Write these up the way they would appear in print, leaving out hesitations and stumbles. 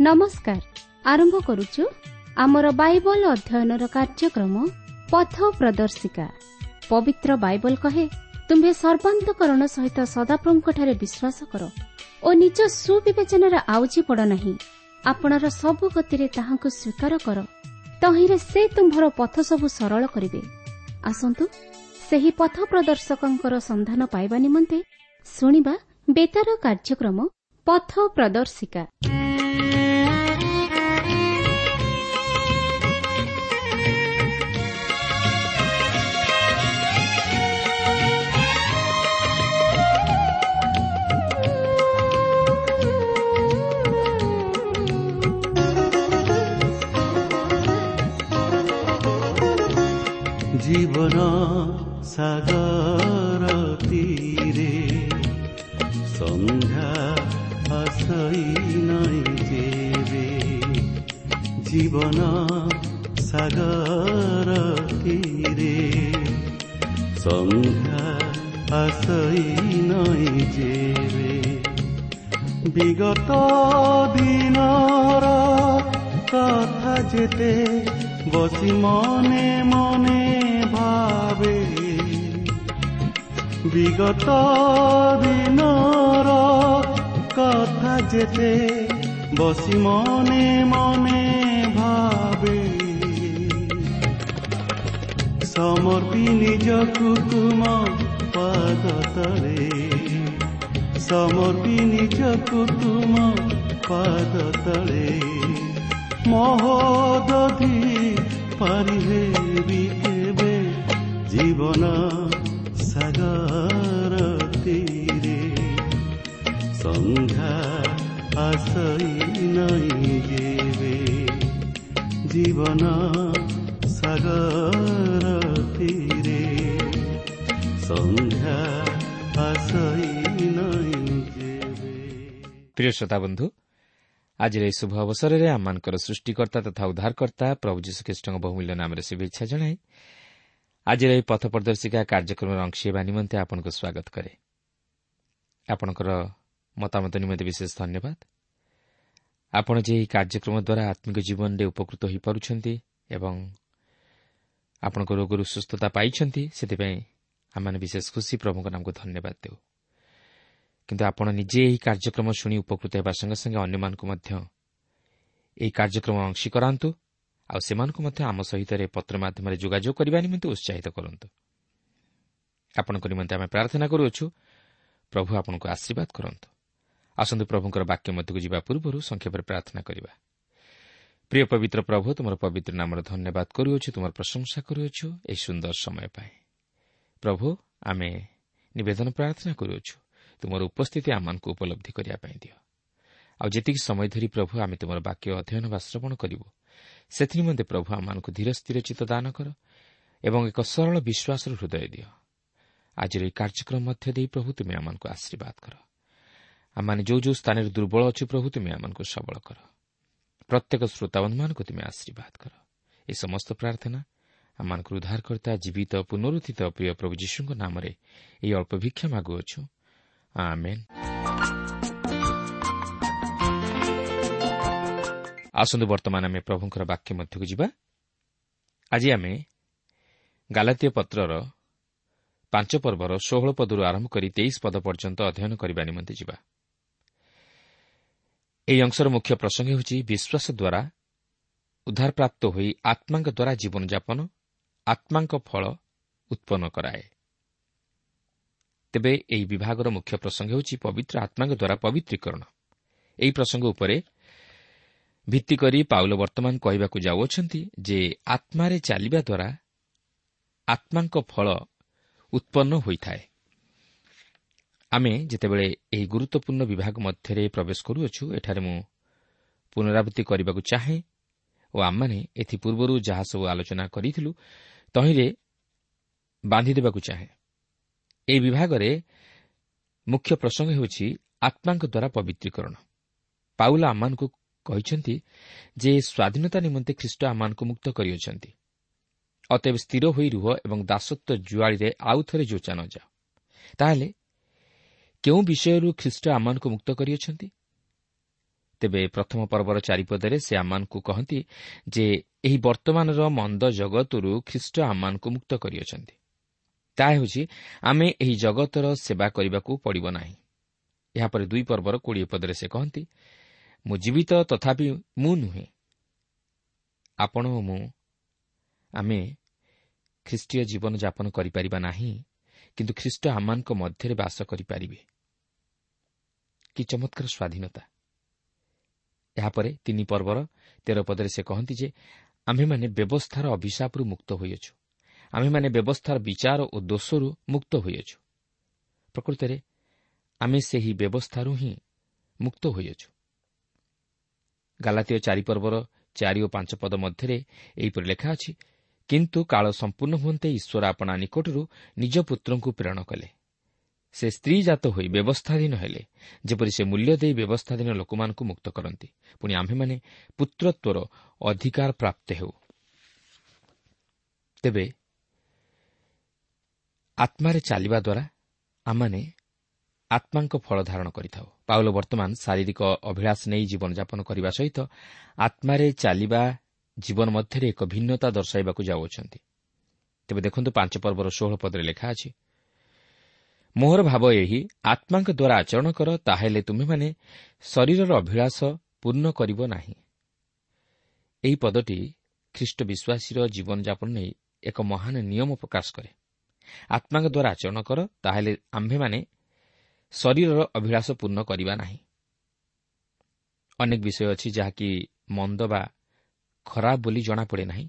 ନମସ୍କାର। ଆରମ୍ଭ କରୁଛୁ ଆମର ବାଇବଲ ଅଧ୍ୟୟନର କାର୍ଯ୍ୟକ୍ରମ ପଥ ପ୍ରଦର୍ଶିକା। ପବିତ୍ର ବାଇବଲ କହେ, ତୁମ୍ଭେ ସର୍ବାନ୍ତକରଣ ସହିତ ସଦାପ୍ରଭୁଙ୍କଠାରେ ବିଶ୍ୱାସ କର ଓ ନିଜ ସୁବିବେଚନାରେ ଆଉଜି ପଡ଼ ନାହିଁ। ଆପଣାର ସବୁ ଗତିରେ ତାହାଙ୍କୁ ସ୍ୱୀକାର କର, ତହିଁରେ ସେ ତୁମ୍ଭର ପଥ ସବୁ ସରଳ କରିବେ। ଆସନ୍ତୁ ସେହି ପଥ ପ୍ରଦର୍ଶକଙ୍କର ସନ୍ଧାନ ପାଇବା ନିମନ୍ତେ ଶୁଣିବା ବେତାର କାର୍ଯ୍ୟକ୍ରମ ପଥ ପ୍ରଦର୍ଶିକା। ଜୀବନ ସାଗର ତୀରେ ସନ୍ଧ୍ୟା ଆସଇ ନାଇଁ ଯେବେ, ଜୀବନ ସାଗର ତୀରେ ସନ୍ଧ୍ୟା ଆସଇ ନାଇଁ ଯେବେ। ବିଗତ ଦିନର କଥା ଯେତେ ବସି ମନେ ମନେ ଭାବେ, ବିଗତ ଦିନର କଥା ଯେତେ ବସି ମନେ ମନେ ଭାବେ, ସମର୍ପି ନିଜକୁ ତୁମ ପାଦ ତଳେ, ସମର୍ପି ନିଜକୁ ତୁମ ପାଦ ତଳେ, ମହୋଦଧି ପାରି ହେବି କେବେ। ଜୀବନ ସାଗର ତୀରେ ସନ୍ଧ୍ୟା ଆସଇ ନାଇଁ ଯେବେ, ଜୀବନ ସାଗର ତୀରେ ସନ୍ଧ୍ୟା ଆସଇ ନାଇଁ ଯେବେ। ପ୍ରିୟ ଶ୍ରୋତା ବନ୍ଧୁ, ଆଜିର ଏହି ଶୁଭ ଅବସରରେ ଆମମାନଙ୍କର ସୃଷ୍ଟିକର୍ତ୍ତା ତଥା ଉଦ୍ଧାରକର୍ତ୍ତା ପ୍ରଭୁ ଯୀଶୁଖ୍ରୀଷ୍ଟଙ୍କ ବହୁମୂଲ୍ୟ ନାମରେ ଶୁଭେଚ୍ଛା ଜଣାଇ ଆଜିର ଏହି ପଥ ପ୍ରଦର୍ଶିକା କାର୍ଯ୍ୟକ୍ରମର ଅଂଶ ହେବା ନିମନ୍ତେ ଆପଣଙ୍କୁ ସ୍ୱାଗତ କରେ। ଆପଣଙ୍କର ମତାମତ ନିମନ୍ତେ ବିଶେଷ ଧନ୍ୟବାଦ। ଆପଣ ଯେ ଏହି କାର୍ଯ୍ୟକ୍ରମ ଦ୍ୱାରା ଆତ୍ମିକ ଜୀବନରେ ଉପକୃତ ହୋଇପାରୁଛନ୍ତି ଏବଂ ଆପଣଙ୍କ ରୋଗରୁ ସୁସ୍ଥତା ପାଇଛନ୍ତି, ସେଥିପାଇଁ ଆମେମାନେ ବିଶେଷ ଖୁସି। ପ୍ରଭୁଙ୍କ ନାମକୁ ଧନ୍ୟବାଦ ଦେଉ। କିନ୍ତୁ ଆପଣ ନିଜେ ଏହି କାର୍ଯ୍ୟକ୍ରମ ଶୁଣି ଉପକୃତ ହେବା ସଙ୍ଗେ ସଙ୍ଗେ ଅନ୍ୟମାନଙ୍କୁ ମଧ୍ୟ ଏହି କାର୍ଯ୍ୟକ୍ରମ ଅଂଶୀ କରାନ୍ତୁ ଆଉ ସେମାନଙ୍କୁ ମଧ୍ୟ ଆମ ସହିତ ପତ୍ର ମାଧ୍ୟମରେ ଯୋଗାଯୋଗ କରିବା ନିମନ୍ତେ ଉତ୍ସାହିତ କରନ୍ତୁ। ଆପଣଙ୍କ ନିମନ୍ତେ ଆମେ ପ୍ରାର୍ଥନା କରୁଅଛୁ, ପ୍ରଭୁ ଆପଣଙ୍କୁ ଆଶୀର୍ବାଦ କରନ୍ତୁ। ଆସନ୍ତୁ ପ୍ରଭୁଙ୍କର ବାକ୍ୟ ମଧ୍ୟକୁ ଯିବା ପୂର୍ବରୁ ସଂକ୍ଷେପରେ ପ୍ରାର୍ଥନା କରିବା। ପ୍ରିୟ ପବିତ୍ର ପ୍ରଭୁ, ତୁମର ପବିତ୍ର ନାମର ଧନ୍ୟବାଦ କରୁଅଛୁ, ତୁମର ପ୍ରଶଂସା କରୁଅଛୁ ଏହି ସୁନ୍ଦର ସମୟ ପାଇଁ। ପ୍ରଭୁ, ଆମେ ନିବେଦନ ପ୍ରାର୍ଥନା କରୁଅଛୁ, ତୁମର ଉପସ୍ଥିତି ଆମମାନଙ୍କୁ ଉପଲବ୍ଧି କରିବା ପାଇଁ ଦିଅ। ଆଉ ଯେତିକି ସମୟ ଧରି ପ୍ରଭୁ ଆମେ ତୁମର ବାକ୍ୟ ଅଧ୍ୟୟନ ବା ଶ୍ରବଣ କରିବୁ, ସେଥିନିମନ୍ତେ ପ୍ରଭୁ ଆମମାନଙ୍କୁ ଧୀର ସ୍ଥିର ଚିତ୍ତ ଦାନ କର ଏବଂ ଏକ ସରଳ ବିଶ୍ୱାସର ହୃଦୟ ଦିଅ। ଆଜିର ଏହି କାର୍ଯ୍ୟକ୍ରମ ମଧ୍ୟ ଦେଇ ପ୍ରଭୁ ତୁମେ ଆମମାନଙ୍କୁ ଆଶୀର୍ବାଦ କର। ଆମମାନେ ଯେଉଁ ଯେଉଁ ସ୍ଥାନରେ ଦୁର୍ବଳ ଅଛୁ ପ୍ରଭୁ ତୁମେ ଆମମାନଙ୍କୁ ସବଳ କର। ପ୍ରତ୍ୟେକ ଶ୍ରୋତାବନ୍ଧୁମାନଙ୍କୁ ତୁମେ ଆଶୀର୍ବାଦ କର। ଏ ସମସ୍ତ ପ୍ରାର୍ଥନା ଆମମାନଙ୍କର ଉଦ୍ଧାରକର୍ତ୍ତା ଜୀବିତ ପୁନରୁତ୍ଥିତ ପ୍ରିୟ ପ୍ରଭୁ ଯୀଶୁଙ୍କ ନାମରେ ଏହି ଅଳ୍ପ ଭିକ୍ଷା ମାଗୁଅଛୁ, ଆମେନ୍। ଆସନ୍ତୁ ବର୍ତ୍ତମାନ ଆମେ ପ୍ରଭୁଙ୍କର ବାକ୍ୟ ମଧ୍ୟକୁ ଯିବା। ଆଜି ଆମେ ଗାଲାତୀୟ ପତ୍ରର 5 ପର୍ବର 16 ପଦରୁ ଆରମ୍ଭ କରି 23 ପଦ ପର୍ଯ୍ୟନ୍ତ ଅଧ୍ୟୟନ କରିବା ନିମନ୍ତେ ଯିବା। ଏହି ଅଂଶର ମୁଖ୍ୟ ପ୍ରସଙ୍ଗ ହେଉଛି ବିଶ୍ୱାସ ଦ୍ୱାରା ଉଦ୍ଧାରପ୍ରାପ୍ତ ହୋଇ ଆତ୍ମାଙ୍କ ଦ୍ୱାରା ଜୀବନଯାପନ ଆତ୍ମାଙ୍କ ଫଳ ଉତ୍ପନ୍ନ କରାଏ। ତେବେ ଏହି ବିଭାଗର ମୁଖ୍ୟ ପ୍ରସଙ୍ଗ ହେଉଛି ପବିତ୍ର ଆତ୍ମାଙ୍କ ଦ୍ୱାରା ପବିତ୍ରୀକରଣ। ଏହି ପ୍ରସଙ୍ଗ ଉପରେ ଭିତ୍ତି କରି ପାଉଲ ବର୍ତ୍ତମାନ କହିବାକୁ ଯାଉଅଛନ୍ତି ଯେ ଆତ୍ମାରେ ଚାଲିବା ଦ୍ୱାରା ଆତ୍ମାଙ୍କ ଫଳ ଉତ୍ପନ୍ନ ହୋଇଥାଏ। ଆମେ ଯେତେବେଳେ ଏହି ଗୁରୁତ୍ୱପୂର୍ଣ୍ଣ ବିଭାଗ ମଧ୍ୟରେ ପ୍ରବେଶ କରୁଅଛୁ, ଏଠାରେ ମୁଁ ପୁନରାବୃତ୍ତି କରିବାକୁ ଚାହେଁ ଓ ଆମମାନେ ଏଥିପୂର୍ବରୁ ଯାହା ସବୁ ଆଲୋଚନା କରିଥିଲୁ ତହିଁରେ ବାନ୍ଧିଦେବାକୁ ଚାହେଁ। ଏହି ବିଭାଗରେ ମୁଖ୍ୟ ପ୍ରସଙ୍ଗ ହେଉଛି ଆତ୍ମାଙ୍କ ଦ୍ୱାରା ପବିତ୍ରୀକରଣ। ପାଉଲ ଆମମାନଙ୍କୁ କହିଛନ୍ତି ଯେ ସ୍ୱାଧୀନତା ନିମନ୍ତେ ଖ୍ରୀଷ୍ଟ ଆମମାନଙ୍କୁ ମୁକ୍ତ କରିଅଛନ୍ତି। ଅତଏବ ସ୍ଥିର ହୋଇ ରୁହ ଏବଂ ଦାସତ୍ୱ ଜୁଆଳିରେ ଆଉ ଥରେ ଯୋଚା ନ ଯାଅ। ତାହେଲେ କେଉଁ ବିଷୟରୁ ଖ୍ରୀଷ୍ଟ ଆମମାନଙ୍କୁ ମୁକ୍ତ କରିଅଛନ୍ତି? ତେବେ ପ୍ରଥମ ପର୍ବର 4 ପଦରେ ସେ ଆମମାନଙ୍କୁ କହନ୍ତି ଯେ ଏହି ବର୍ତ୍ତମାନର ମନ୍ଦ ଜଗତରୁ ଖ୍ରୀଷ୍ଟ ଆମମାନଙ୍କୁ ମୁକ୍ତ କରିଅଛନ୍ତି। ତାହା ହେଉଛି ଆମେ ଏହି ଜଗତର ସେବା କରିବାକୁ ପଡ଼ିବ ନାହିଁ। ଏହାପରେ 2 ପର୍ବର 20 ପଦରେ ସେ କହନ୍ତି, ମୁଁ ଜୀବିତ ତଥାପି ମୁଁ ନୁହେଁ। ଆପଣ ଓ ମୁଁ ଆମେ ଖ୍ରୀଷ୍ଟୀୟ ଜୀବନଯାପନ କରିପାରିବା ନାହିଁ, କିନ୍ତୁ ଖ୍ରୀଷ୍ଟ ଆମମାନଙ୍କ ମଧ୍ୟରେ ବାସ କରିପାରିବେ। କି ଚମତ୍କାର ସ୍ୱାଧୀନତା! ଏହାପରେ 3 ପର୍ବର 13 ପଦରେ ସେ କହନ୍ତି ଯେ ଆମ୍ଭେମାନେ ବ୍ୟବସ୍ଥାର ଅଭିଶାପରୁ ମୁକ୍ତ ହୋଇଅଛୁ, ଆମ୍ଭେମାନେ ବ୍ୟବସ୍ଥାର ବିଚାର ଓ ଦୋଷରୁ ମୁକ୍ତ ହୋଇଅଛୁ। ପ୍ରକୃତରେ ଆମେ ସେହି ବ୍ୟବସ୍ଥାରୁ ହିଁ ମୁକ୍ତ ହୋଇଅଛୁ। ଗାଲାତୀୟ 4 ପର୍ବର 4 ଓ 5 ପଦ ମଧ୍ୟରେ ଏହିପରି ଲେଖା ଅଛି, କିନ୍ତୁ କାଳ ସମ୍ପୂର୍ଣ୍ଣ ହୁଅନ୍ତେ ଈଶ୍ୱର ଆପଣା ନିକଟରୁ ନିଜ ପୁତ୍ରଙ୍କୁ ପ୍ରେରଣ କଲେ। ସେ ସ୍ତ୍ରୀଜାତ ହୋଇ ବ୍ୟବସ୍ଥାଧୀନ ହେଲେ, ଯେପରି ସେ ମୂଲ୍ୟ ଦେଇ ବ୍ୟବସ୍ଥାଧୀନ ଲୋକମାନଙ୍କୁ ମୁକ୍ତ କରନ୍ତି। ପୁଣି ଆମ୍ଭେମାନେ ପୁତ୍ରତ୍ୱର ଅଧିକାର ପ୍ରାପ୍ତ ହେଉ। ତେବେ ଆତ୍ମାରେ ଚାଲିବା ଦ୍ୱାରା ଆମମାନେ ଆତ୍ମାଙ୍କ ଫଳ ଧାରଣ କରିଥାଉ। ପାଉଲ ବର୍ତ୍ତମାନ ଶାରୀରିକ ଅଭିଳାଷ ନେଇ ଜୀବନଯାପନ କରିବା ସହିତ ଆତ୍ମାରେ ଚାଲିବା ଜୀବନ ମଧ୍ୟରେ ଏକ ଭିନ୍ନତା ଦର୍ଶାଇବାକୁ ଯାଉଅଛନ୍ତି। ତେବେ ଦେଖନ୍ତୁ 5 ପର୍ବର 16 ପଦରେ ଲେଖା ଅଛି, ମୋହର ଭାବ ଏହି, ଆତ୍ମାଙ୍କ ଦ୍ୱାରା ଆଚରଣ କର, ତାହେଲେ ତୁମେମାନେ ଶରୀରର ଅଭିଳାଷ ପୂର୍ଣ୍ଣ କରିବ ନାହିଁ। ଏହି ପଦଟି ଖ୍ରୀଷ୍ଟ ବିଶ୍ୱାସୀର ଜୀବନଯାପନ ନେଇ ଏକ ମହାନ ନିୟମ ପ୍ରକାଶ କରେ। ଆତ୍ମାଙ୍କ ଦ୍ୱାରା ଆଚରଣ କର, ତାହେଲେ ଆମ୍ଭେମାନେ ଶରୀରର ଅଭିଳାଷ ପୂର୍ଣ୍ଣ କରିବା ନାହିଁ। ଅନେକ ବିଷୟ ଅଛି ଯାହାକି ମନ୍ଦ ବା ଖରାପ ବୋଲି ଜଣାପଡ଼େ ନାହିଁ,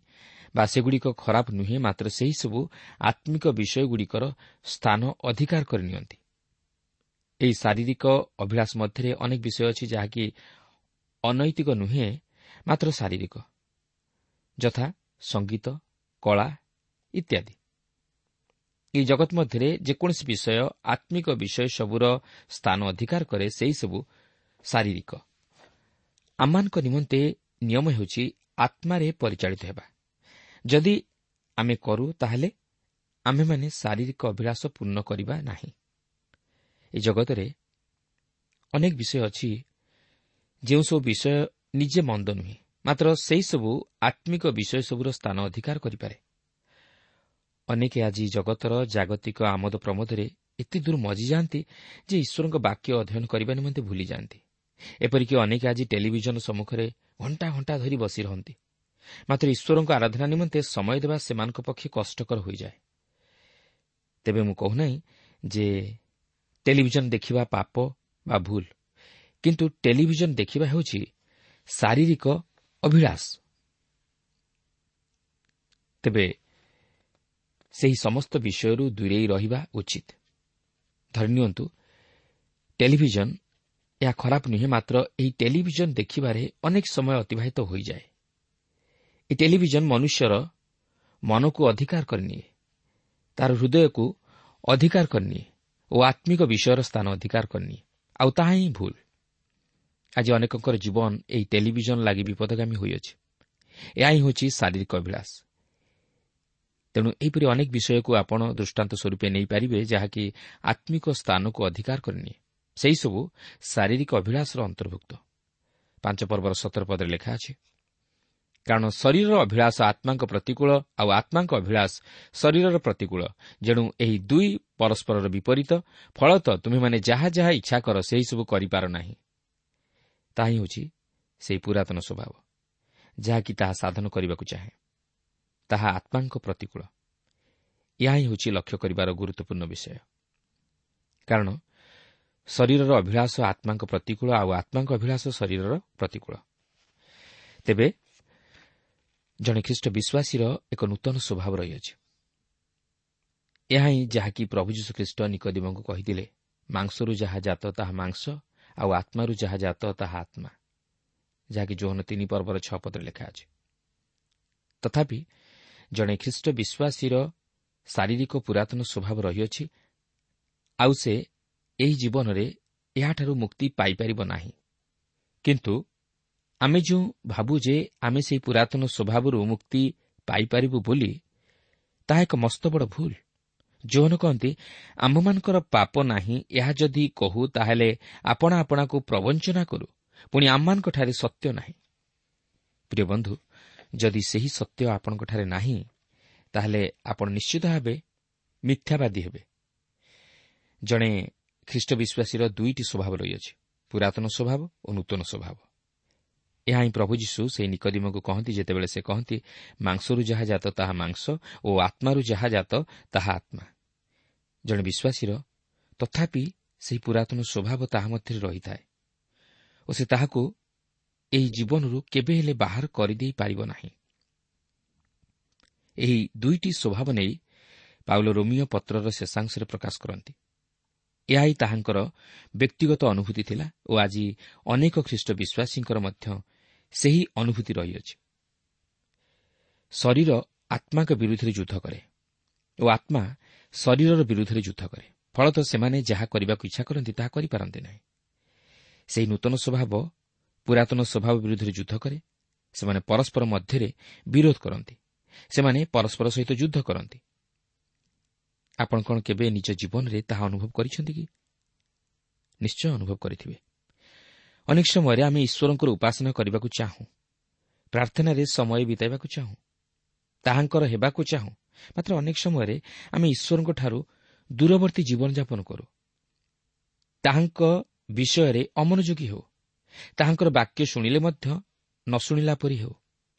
ବା ସେଗୁଡ଼ିକ ଖରାପ ନୁହେଁ, ମାତ୍ର ସେହିସବୁ ଆତ୍ମିକ ବିଷୟଗୁଡ଼ିକର ସ୍ଥାନ ଅଧିକାର କରିନିଅନ୍ତି। ଏହି ଶାରୀରିକ ଅଭିଳାଷ ମଧ୍ୟରେ ଅନେକ ବିଷୟ ଅଛି ଯାହାକି ଅନୈତିକ ନୁହେଁ, ମାତ୍ର ଶାରୀରିକ, ଯଥା ସଙ୍ଗୀତ, କଳା ଇତ୍ୟାଦି। ଏହି ଜଗତ ମଧ୍ୟରେ ଯେକୌଣସି ବିଷୟ ଆତ୍ମିକ ବିଷୟ ସବୁର ସ୍ଥାନ ଅଧିକାର କରେ, ସେହିସବୁ ଶାରୀରିକ। ଆମମାନଙ୍କ ନିମନ୍ତେ ନିୟମ ହେଉଛି ଆତ୍ମାରେ ପରିଚାଳିତ ହେବା। ଯଦି ଆମେ କରୁ, ତାହେଲେ ଆମ୍ଭେମାନେ ଶାରୀରିକ ଅଭିଳାଷ ପୂର୍ଣ୍ଣ କରିବା ନାହିଁ। ଏ ଜଗତରେ ଅନେକ ବିଷୟ ଅଛି ଯେଉଁସବୁ ବିଷୟ ନିଜେ ମନ୍ଦ ନୁହେଁ, ମାତ୍ର ସେହିସବୁ ଆତ୍ମିକ ବିଷୟ ସବୁର ସ୍ଥାନ ଅଧିକାର କରିପାରେ। ଅନେକେ ଆଜି ଜଗତର ଜାଗତିକ ଆମୋଦ ପ୍ରମୋଦରେ ଏତେ ଦୂର ମଜିଯାଆନ୍ତି ଯେ ଈଶ୍ୱରଙ୍କ ବାକ୍ୟ ଅଧ୍ୟୟନ କରିବା ନିମନ୍ତେ ଭୁଲିଯାଆନ୍ତି। ଏପରିକି ଅନେକେ ଆଜି ଟେଲିଭିଜନ ସମ୍ମୁଖରେ ଘଣ୍ଟା ଘଣ୍ଟା ଧରି ବସି ରହନ୍ତି, ମାତ୍ର ଈଶ୍ୱରଙ୍କ ଆରାଧନା ନିମନ୍ତେ ସମୟ ଦେବା ସେମାନଙ୍କ ପକ୍ଷେ କଷ୍ଟକର ହୋଇଯାଏ। ତେବେ ମୁଁ କହୁନାହିଁ ଯେ ଟେଲିଭିଜନ ଦେଖିବା ପାପ ବା ଭୁଲ, କିନ୍ତୁ ଟେଲିଭିଜନ ଦେଖିବା ହେଉଛି ଶାରୀରିକ ଅଭିଳାଷ। ତେବେ ସେହି ସମସ୍ତ ବିଷୟରୁ ଦୂରେଇ ରହିବା ଉଚିତ। ଧରିନିଅନ୍ତୁ ଟେଲିଭିଜନ, ଏହା ଖରାପ ନୁହେଁ, ମାତ୍ର ଏହି ଟେଲିଭିଜନ ଦେଖିବାରେ ଅନେକ ସମୟ ଅତିବାହିତ ହୋଇଯାଏ। ଏହି ଟେଲିଭିଜନ ମନୁଷ୍ୟର ମନକୁ ଅଧିକାର କରିନିଏ, ତାର ହୃଦୟକୁ ଅଧିକାର କରିନିଏ ଓ ଆତ୍ମିକ ବିଷୟର ସ୍ଥାନ ଅଧିକାର କରିନିଏ, ଆଉ ତାହା ହିଁ ଭୁଲ। ଆଜି ଅନେକଙ୍କର ଜୀବନ ଏହି ଟେଲିଭିଜନ ଲାଗି ବିପଦଗାମୀ ହୋଇଅଛି। ଏହା ହିଁ ହେଉଛି ଶାରୀରିକ ଅଭିଳାଷ। ତେଣୁ ଏହିପରି ଅନେକ ବିଷୟକୁ ଆପଣ ଦୃଷ୍ଟାନ୍ତ ସ୍ୱରୂପେ ନେଇପାରିବେ ଯାହାକି ଆତ୍ମିକ ସ୍ଥାନକୁ ଅଧିକାର କରିନିଏ, ସେହିସବୁ ଶାରୀରିକ ଅଭିଳାଷର ଅନ୍ତର୍ଭୁକ୍ତ। 5 ପର୍ବର 17 ପଦରେ ଲେଖା ଅଛି, କାରଣ ଶରୀରର ଅଭିଳାଷ ଆତ୍ମାଙ୍କ ପ୍ରତିକୂଳ, ଆଉ ଆତ୍ମାଙ୍କ ଅଭିଳାଷ ଶରୀରର ପ୍ରତିକୂଳ, ଯେଣୁ ଏହି ଦୁଇ ପରସ୍ପରର ବିପରୀତ। ଫଳତଃ ତୁମେମାନେ ଯାହା ଯାହା ଇଚ୍ଛା କର ସେହିସବୁ କରିପାର ନାହିଁ। ତାହା ହିଁ ହେଉଛି ସେହି ପୁରାତନ ସ୍ୱଭାବ ଯାହାକି ତାହା ସାଧନ କରିବାକୁ ଚାହେଁ, ତାହା ଆତ୍ମାଙ୍କ ପ୍ରତିକୂଳ। ଏହା ହିଁ ହେଉଛି ଲକ୍ଷ୍ୟ କରିବାର ଗୁରୁତ୍ୱପୂର୍ଣ୍ଣ ବିଷୟ, କାରଣ ଶରୀରର ଅଭିଳାଷ ଆତ୍ମାଙ୍କ ପ୍ରତିକୂଳ, ଆଉ ଆତ୍ମାଙ୍କ ଅଭିଳାଷ ଶରୀରର ପ୍ରତିକୂଳ। ତେବେ ଜଣେ ଖ୍ରୀଷ୍ଟ ବିଶ୍ୱାସୀର ଏକ ନୂତନ ସ୍ୱଭାବ ରହିଅଛି। ଏହା ହିଁ ଯାହାକି ପ୍ରଭୁ ଯୀଶୁଖ୍ରୀଷ୍ଟ ନିକୋଦିମଙ୍କୁ କହିଥିଲେ, ମାଂସରୁ ଯାହା ଜାତ ତାହା ମାଂସ, ଆଉ ଆତ୍ମାରୁ ଯାହା ଜାତ ତାହା ଆତ୍ମା, ଯାହାକି ଯୋହନ 3 ପର୍ବର 6 ପଦରେ ଲେଖା ଅଛି। ତଥାପି ଜଣେ ଖ୍ରୀଷ୍ଟ ବିଶ୍ୱାସୀର ଶାରୀରିକ ପୁରାତନ ସ୍ୱଭାବ ରହିଅଛି, ଆଉ ସେ ଏହି ଜୀବନରେ ଏହାଠାରୁ ମୁକ୍ତି ପାଇପାରିବ ନାହିଁ। କିନ୍ତୁ ଆମେ ଯେଉଁ ଭାବୁ ଯେ ଆମେ ସେହି ପୁରାତନ ସ୍ୱଭାବରୁ ମୁକ୍ତି ପାଇପାରିବୁ ବୋଲି, ତାହା ଏକ ମସ୍ତ ବଡ଼ ଭୁଲ। ଯୋହନ କହନ୍ତି, ଆମ୍ଭମାନଙ୍କର ପାପ ନାହିଁ, ଏହା ଯଦି କହୁ ତାହେଲେ ଆପଣା ଆପଣାକୁ ପ୍ରବଞ୍ଚନା କରୁ ପୁଣି ଆମମାନଙ୍କଠାରେ ସତ୍ୟ ନାହିଁ। ପ୍ରିୟ ବନ୍ଧୁ, ଯଦି ସେହି ସତ୍ୟ ଆପଣଙ୍କଠାରେ ନାହିଁ, ତାହେଲେ ଆପଣ ନିଶ୍ଚିତ ଭାବେ ମିଥ୍ୟାବାଦୀ ହେବେ। ଜଣେ ଖ୍ରୀଷ୍ଟ ବିଶ୍ୱାସୀର ଦୁଇଟି ସ୍ୱଭାବ ରହିଅଛି, ପୁରାତନ ସ୍ୱଭାବ ଓ ନୂତନ ସ୍ୱଭାବ। ଏହା ହିଁ ପ୍ରଭୁ ଯୀଶୁ ସେହି ନିକୋଦିମକୁ କହନ୍ତି, ଯେତେବେଳେ ସେ କହନ୍ତି, ମାଂସରୁ ଯାହା ଜାତ ତାହା ମାଂସ ଓ ଆତ୍ମାରୁ ଯାହା ଜାତ ତାହା ଆତ୍ମା। ଜଣେ ବିଶ୍ୱାସୀର ତଥାପି ସେହି ପୁରାତନ ସ୍ୱଭାବ ତାହା ମଧ୍ୟରେ ରହିଥାଏ ଓ ସେ ତାହାକୁ ଏହି ଜୀବନରୁ କେବେ ହେଲେ ବାହାର କରିଦେଇ ପାରିବ ନାହିଁ। ଏହି ଦୁଇଟି ସ୍ୱଭାବ ନେଇ ପାଉଲ ରୋମିଓ ପତ୍ରର ଶେଷାଂଶରେ ପ୍ରକାଶ କରନ୍ତି। ଏହା ହିଁ ତାହାଙ୍କର ବ୍ୟକ୍ତିଗତ ଅନୁଭୂତି ଥିଲା ଓ ଆଜି ଅନେକ ଖ୍ରୀଷ୍ଟ ବିଶ୍ୱାସୀଙ୍କର ମଧ୍ୟ ସେହି ଅନୁଭୂତି ରହିଅଛି। ଶରୀର ଆତ୍ମାଙ୍କ ବିରୁଦ୍ଧରେ ଯୁଦ୍ଧ କରେ ଓ ଆତ୍ମା ଶରୀରର ବିରୁଦ୍ଧରେ ଯୁଦ୍ଧ କରେ। ଫଳତଃ ସେମାନେ ଯାହା କରିବାକୁ ଇଚ୍ଛା କରନ୍ତି ତାହା କରିପାରନ୍ତି ନାହିଁ। ସେହି ନୂତନ ସ୍ୱଭାବ ପୁରାତନ ସ୍ୱଭାବ ବିରୁଦ୍ଧରେ ଯୁଦ୍ଧ କରେ। ସେମାନେ ପରସ୍ପର ମଧ୍ୟରେ ବିରୋଧ କରନ୍ତି। ସେମାନେ ପରସ୍ପର ସହିତ ଯୁଦ୍ଧ କରନ୍ତି। ଆପଣ କ'ଣ କେବେ ନିଜ ଜୀବନରେ ତାହା ଅନୁଭବ କରିଛନ୍ତି କି? ନିଶ୍ଚୟ ଅନୁଭବ କରିଥିବେ। ଅନେକ ସମୟରେ ଆମେ ଈଶ୍ୱରଙ୍କର ଉପାସନା କରିବାକୁ ଚାହୁଁ, ପ୍ରାର୍ଥନାରେ ସମୟ ବିତାଇବାକୁ ଚାହୁଁ, ତାହାଙ୍କର ହେବାକୁ ଚାହୁଁ, ମାତ୍ର ଅନେକ ସମୟରେ ଆମେ ଈଶ୍ୱରଙ୍କଠାରୁ ଦୂରବର୍ତ୍ତୀ ଜୀବନଯାପନ କରୁ, ତାହାଙ୍କ ବିଷୟରେ ଅମନୋଯୋଗୀ ହେଉ, ତାହାଙ୍କର ବାକ୍ୟ ଶୁଣିଲେ ମଧ୍ୟ ନ ଶୁଣିଲା ପରି ହେଉ,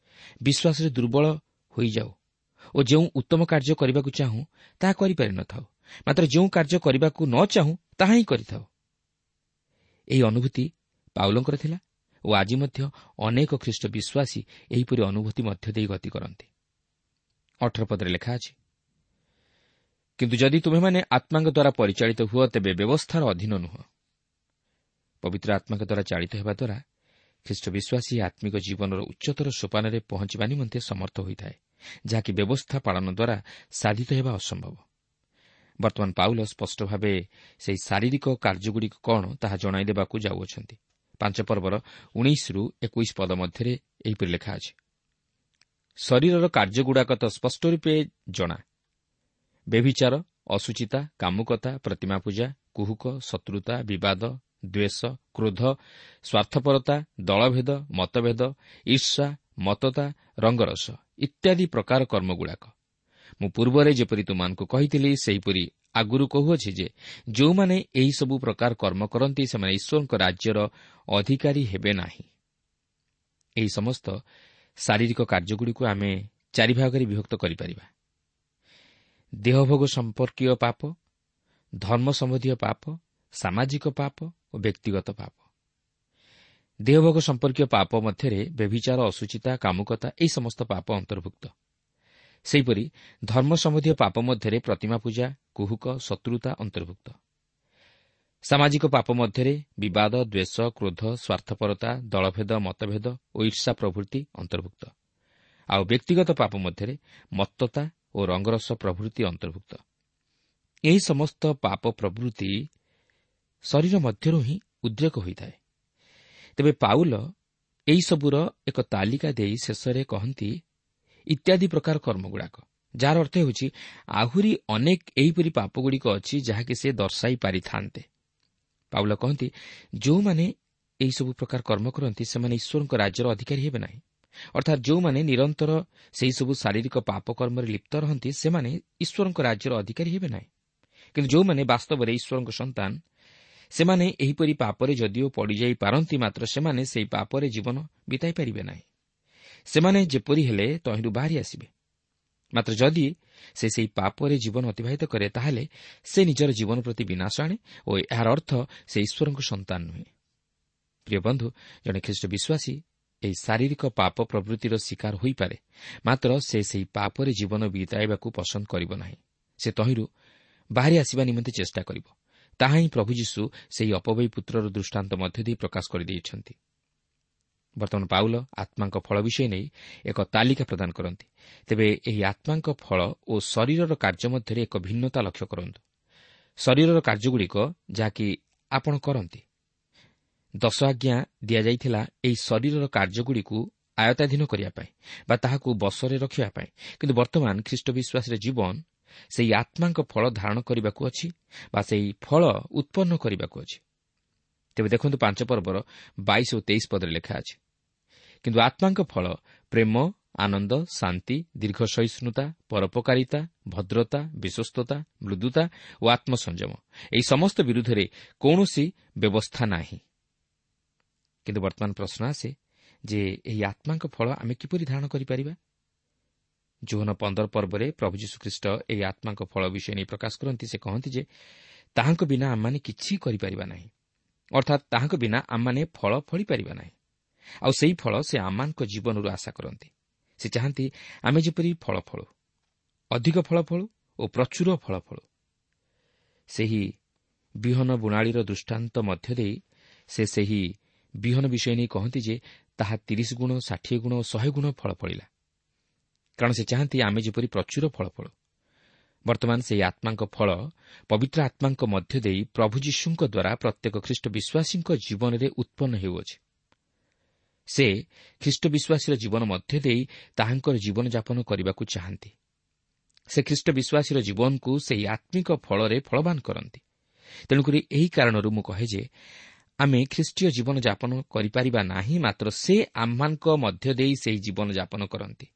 ବିଶ୍ୱାସରେ ଦୁର୍ବଳ ହୋଇଯାଉ ଓ ଯେଉଁ ଉତ୍ତମ କାର୍ଯ୍ୟ କରିବାକୁ ଚାହୁଁ ତାହା କରିପାରିନଥାଉ, ମାତ୍ର ଯେଉଁ କାର୍ଯ୍ୟ କରିବାକୁ ନ ଚାହୁଁ ତାହା ହିଁ କରିଥାଉ। ଏହି ଅନୁଭୂତି ପାଉଲଙ୍କର ଥିଲା ଓ ଆଜି ମଧ୍ୟ ଅନେକ ଖ୍ରୀଷ୍ଟ ବିଶ୍ୱାସୀ ଏହିପରି ଅନୁଭୂତି ମଧ୍ୟ ଦେଇ ଗତି କରନ୍ତି। 18 ପଦରେ ଲେଖା ଅଛି, କିନ୍ତୁ ଯଦି ତୁମେମାନେ ଆତ୍ମାଙ୍କ ଦ୍ୱାରା ପରିଚାଳିତ ହୁଅ, ତେବେ ବ୍ୟବସ୍ଥାର ଅଧୀନ ନୁହଁ। ପବିତ୍ର ଆତ୍ମାଙ୍କ ଦ୍ୱାରା ଚାଳିତ ହେବା ଦ୍ୱାରା ଖ୍ରୀଷ୍ଟ ବିଶ୍ୱାସୀ ଆତ୍ମିକ ଜୀବନର ଉଚ୍ଚତର ସୋପାନରେ ପହଞ୍ଚିବା ନିମନ୍ତେ ସମର୍ଥ ହୋଇଥାଏ, ଯାହାକି ବ୍ୟବସ୍ଥା ପାଳନ ଦ୍ୱାରା ସାଧିତ ହେବା ଅସମ୍ଭବ। ବର୍ତ୍ତମାନ ପାଉଲ ସ୍ପଷ୍ଟ ଭାବେ ସେହି ଶାରୀରିକ କାର୍ଯ୍ୟଗୁଡ଼ିକ କ'ଣ ତାହା ଜଣାଇଦେବାକୁ ଯାଉଅଛନ୍ତି। 5 ପର୍ବର 19ରୁ 21 ପଦ ମଧ୍ୟରେ ଏହିପରି ଲେଖା ଅଛି, ଶରୀରର କାର୍ଯ୍ୟଗୁଡ଼ାକ ତ ସ୍ପଷ୍ଟ ରୂପେ ଜଣା, ବ୍ୟଭିଚାର, ଅଶୁଚିତା, କାମୁକତା, ପ୍ରତିମା ପୂଜା, କୁହୁକ, ଶତ୍ରୁତା, ବିବାଦ, ଦ୍ୱେଷ, କ୍ରୋଧ, ସ୍ୱାର୍ଥପରତା, ଦଳଭେଦ, ମତଭେଦ, ଈର୍ଷା, ମତତା, ରଙ୍ଗରସ ଇତ୍ୟାଦି ପ୍ରକାର କର୍ମଗୁଡ଼ାକ। ମୁଁ ପୂର୍ବରେ ଯେପରି ତୁମମାନଙ୍କୁ କହିଥିଲି, ସେହିପରି ଆଗରୁ କହୁଅଛି ଯେ ଯେଉଁମାନେ ଏହିସବୁ ପ୍ରକାର କର୍ମ କରନ୍ତି, ସେମାନେ ଈଶ୍ୱରଙ୍କ ରାଜ୍ୟର ଅଧିକାରୀ ହେବେ ନାହିଁ। ଏହି ସମସ୍ତ ଶାରୀରିକ କାର୍ଯ୍ୟଗୁଡ଼ିକୁ ଆମେ 4 ଭାଗରେ ବିଭକ୍ତ କରିପାରିବା। ଦେହଭୋଗ ସମ୍ପର୍କୀୟ ପାପ, ଧର୍ମ ସମ୍ବନ୍ଧୀୟ ପାପ, ସାମାଜିକ ପାପ ଓ ବ୍ୟକ୍ତିଗତ ପାପ। ଦେହଭୋଗ ସମ୍ପର୍କୀୟ ପାପ ମଧ୍ୟରେ ବ୍ୟଭିଚାର, ଅଶୁଚିତା, କାମୁକତା ଏହି ସମସ୍ତ ପାପ ଅନ୍ତର୍ଭୁକ୍ତ। ସେହିପରି ଧର୍ମ ସମ୍ବନ୍ଧୀୟ ପାପ ମଧ୍ୟରେ ପ୍ରତିମା ପୂଜା, କୁହୁକ, ଶତ୍ରୁତା ଅନ୍ତର୍ଭୁକ୍ତ। ସାମାଜିକ ପାପ ମଧ୍ୟରେ ବିବାଦ, ଦ୍ୱେଷ, କ୍ରୋଧ, ସ୍ୱାର୍ଥପରତା, ଦଳଭେଦ, ମତଭେଦ ଓ ଈର୍ଷା ପ୍ରଭୃତି ଅନ୍ତର୍ଭୁକ୍ତ। ଆଉ ବ୍ୟକ୍ତିଗତ ପାପ ମଧ୍ୟରେ ମତ୍ତତା ଓ ରଙ୍ଗରସ ପ୍ରଭୃତି ଅନ୍ତର୍ଭୁକ୍ତ। ଏହି ସମସ୍ତ ପାପ ପ୍ରଭୃତି ଶରୀର ମଧ୍ୟରୁ ହିଁ ଉଦ୍ରେକ ହୋଇଥାଏ। ତେବେ ପାଉଲ ଏହିସବୁର ଏକ ତାଲିକା ଦେଇ ଶେଷରେ କହନ୍ତି ଇତ୍ୟାଦି ପ୍ରକାର କର୍ମଗୁଡ଼ାକ, ଯାହାର ଅର୍ଥ ହେଉଛି ଆହୁରି ଅନେକ ଏହିପରି ପାପଗୁଡ଼ିକ ଅଛି ଯାହାକି ସେ ଦର୍ଶାଇ ପାରିଥାନ୍ତେ। ପାଉଲ କହନ୍ତି, ଯେଉଁମାନେ ଏହିସବୁ ପ୍ରକାର କର୍ମ କରନ୍ତି ସେମାନେ ଈଶ୍ୱରଙ୍କ ରାଜ୍ୟର ଅଧିକାରୀ ହେବେ ନାହିଁ। ଅର୍ଥାତ୍ ଯେଉଁମାନେ ନିରନ୍ତର ସେହିସବୁ ଶାରୀରିକ ପାପ କର୍ମରେ ଲିପ୍ତ ରହନ୍ତି ସେମାନେ ଈଶ୍ୱରଙ୍କ ରାଜ୍ୟର ଅଧିକାରୀ ହେବେ ନାହିଁ। କିନ୍ତୁ ଯେଉଁମାନେ ବାସ୍ତବରେ ଈଶ୍ୱରଙ୍କ ସନ୍ତାନ ସେମାନେ ଏହିପରି ପାପରେ ଯଦିଓ ପଡ଼ିଯାଇ ପାରନ୍ତି, ମାତ୍ର ସେମାନେ ସେହି ପାପରେ ଜୀବନ ବିତାଇ ପାରିବେ ନାହିଁ। ସେମାନେ ଯେପରି ହେଲେ ତହିଁରୁ ବାହାରି ଆସିବେ। ମାତ୍ର ଯଦି ସେ ସେହି ପାପରେ ଜୀବନ ଅତିବାହିତ କରେ, ତାହେଲେ ସେ ନିଜର ଜୀବନ ପ୍ରତି ବିନାଶ ଆଣେ ଓ ଏହାର ଅର୍ଥ ସେ ଈଶ୍ୱରଙ୍କ ସନ୍ତାନ ନୁହେଁ। ପ୍ରିୟ ବନ୍ଧୁ, ଜଣେ ଖ୍ରୀଷ୍ଟ ବିଶ୍ୱାସୀ ଏହି ଶାରୀରିକ ପାପ ପ୍ରବୃତ୍ତିର ଶିକାର ହୋଇପାରେ, ମାତ୍ର ସେ ସେହି ପାପରେ ଜୀବନ ବିତାଇବାକୁ ପସନ୍ଦ କରିବ ନାହିଁ। ସେ ତହିଁରୁ ବାହାରି ଆସିବା ନିମନ୍ତେ ଚେଷ୍ଟା କରିବ। ତାହା ହିଁ ପ୍ରଭୁ ଯୀଶୁ ସେହି ଅପବ୍ୟୟୀ ପୁତ୍ରର ଦୃଷ୍ଟାନ୍ତ ମଧ୍ୟ ଦେଇ ପ୍ରକାଶ କରିଦେଇଛନ୍ତି। ବର୍ତ୍ତମାନ ପାଉଲ ଆତ୍ମାଙ୍କ ଫଳ ବିଷୟ ନେଇ ଏକ ତାଲିକା ପ୍ରଦାନ କରନ୍ତି। ତେବେ ଏହି ଆତ୍ମାଙ୍କ ଫଳ ଓ ଶରୀରର କାର୍ଯ୍ୟ ମଧ୍ୟରେ ଏକ ଭିନ୍ନତା ଲକ୍ଷ୍ୟ କରନ୍ତୁ। ଶରୀରର କାର୍ଯ୍ୟଗୁଡ଼ିକ ଯାହାକି ଆପଣ କରନ୍ତି, 10 ଆଜ୍ଞା ଦିଆଯାଇଥିଲା ଏହି ଶରୀରର କାର୍ଯ୍ୟଗୁଡ଼ିକୁ ଆୟତ୍ତାଧୀନ କରିବା ପାଇଁ ବା ତାହାକୁ ବଶରେ ରଖିବା ପାଇଁ। କିନ୍ତୁ ବର୍ତ୍ତମାନ ଖ୍ରୀଷ୍ଟ ବିଶ୍ୱାସରେ ଜୀବନ ସେହି ଆତ୍ମାଙ୍କ ଫଳ ଧାରଣ କରିବାକୁ ଅଛି ବା ସେହି ଫଳ ଉତ୍ପନ୍ନ କରିବାକୁ ଅଛି। ତେବେ ଦେଖନ୍ତୁ 5 ପର୍ବର 22 ଓ 23 ପଦରେ ଲେଖା ଅଛି, କିନ୍ତୁ ଆତ୍ମାଙ୍କ ଫଳ ପ୍ରେମ, ଆନନ୍ଦ, ଶାନ୍ତି, ଦୀର୍ଘ ସହିଷ୍ଣୁତା, ପରୋପକାରିତା, ଭଦ୍ରତା, ବିଶ୍ୱସ୍ତତା, ମୃଦୁତା ଓ ଆତ୍ମସଂଯମ। ଏହି ସମସ୍ତ ବିରୁଦ୍ଧରେ କୌଣସି ବ୍ୟବସ୍ଥା ନାହିଁ। କିନ୍ତୁ ବର୍ତ୍ତମାନ ପ୍ରଶ୍ନ ଆସେ ଯେ ଏହି ଆତ୍ମାଙ୍କ ଫଳ ଆମେ କିପରି ଧାରଣ କରିପାରିବା? ଯୋହନ 15 ପର୍ବରେ ପ୍ରଭୁ ଯୀଶୁଖ୍ରୀଷ୍ଟ ଏହି ଆତ୍ମାଙ୍କ ଫଳ ବିଷୟ ନେଇ ପ୍ରକାଶ କରନ୍ତି। ସେ କହନ୍ତି ଯେ ତାହାଙ୍କ ବିନା ଆମମାନେ କିଛି କରିପାରିବା ନାହିଁ, ଅର୍ଥାତ୍ ତାହାଙ୍କ ବିନା ଆମମାନେ ଫଳ ଫଳିପାରିବା ନାହିଁ। ଆଉ ସେହି ଫଳ ସେ ଆମମାନଙ୍କ ଜୀବନରୁ ଆଶା କରନ୍ତି। ସେ ଚାହାନ୍ତି ଆମେ ଯେପରି ଫଳ ଫଳୁ, ଅଧିକ ଫଳ ଫଳୁ ଓ ପ୍ରଚୁର ଫଳ ଫଳୁ। ସେହି ବିହନ ବୁଣାଳିର ଦୃଷ୍ଟାନ୍ତ ମଧ୍ୟ ଦେଇ ସେ ସେହି ବିହନ ବିଷୟ ନେଇ କହନ୍ତି ଯେ ତାହା 30 ଗୁଣ, 60 ଗୁଣ ଓ 100 ଗୁଣ ଫଳ ଫଳିଲା, କାରଣ ସେ ଚାହାନ୍ତି ଆମେ ଯେପରି ପ୍ରଚୁର ଫଳ ଫଳୁ। ବର୍ତ୍ତମାନ ସେହି ଆତ୍ମାଙ୍କ ଫଳ ପବିତ୍ର ଆତ୍ମାଙ୍କ ମଧ୍ୟ ଦେଇ ପ୍ରଭୁ ଯୀଶୁଙ୍କ ଦ୍ୱାରା ପ୍ରତ୍ୟେକ ଖ୍ରୀଷ୍ଟ ବିଶ୍ୱାସୀଙ୍କ ଜୀବନରେ ଉତ୍ପନ୍ନ ହେଉଅଛି। ସେ ଖ୍ରୀଷ୍ଟ ବିଶ୍ୱାସୀର ଜୀବନ ମଧ୍ୟ ଦେଇ ତାହାଙ୍କର ଜୀବନଯାପନ କରିବାକୁ ଚାହାନ୍ତି। ସେ ଖ୍ରୀଷ୍ଟ ବିଶ୍ୱାସୀର ଜୀବନକୁ ସେହି ଆତ୍ମିକ ଫଳରେ ଫଳବାନ କରନ୍ତି। ତେଣୁକରି ଏହି କାରଣରୁ ମୁଁ କହେ ଯେ ଆମେ ଖ୍ରୀଷ୍ଟୀୟ ଜୀବନଯାପନ କରିପାରିବା ନାହିଁ, ମାତ୍ର ସେ ଆମମାନଙ୍କ ମଧ୍ୟ ଦେଇ ସେହି ଜୀବନଯାପନ କରନ୍ତି।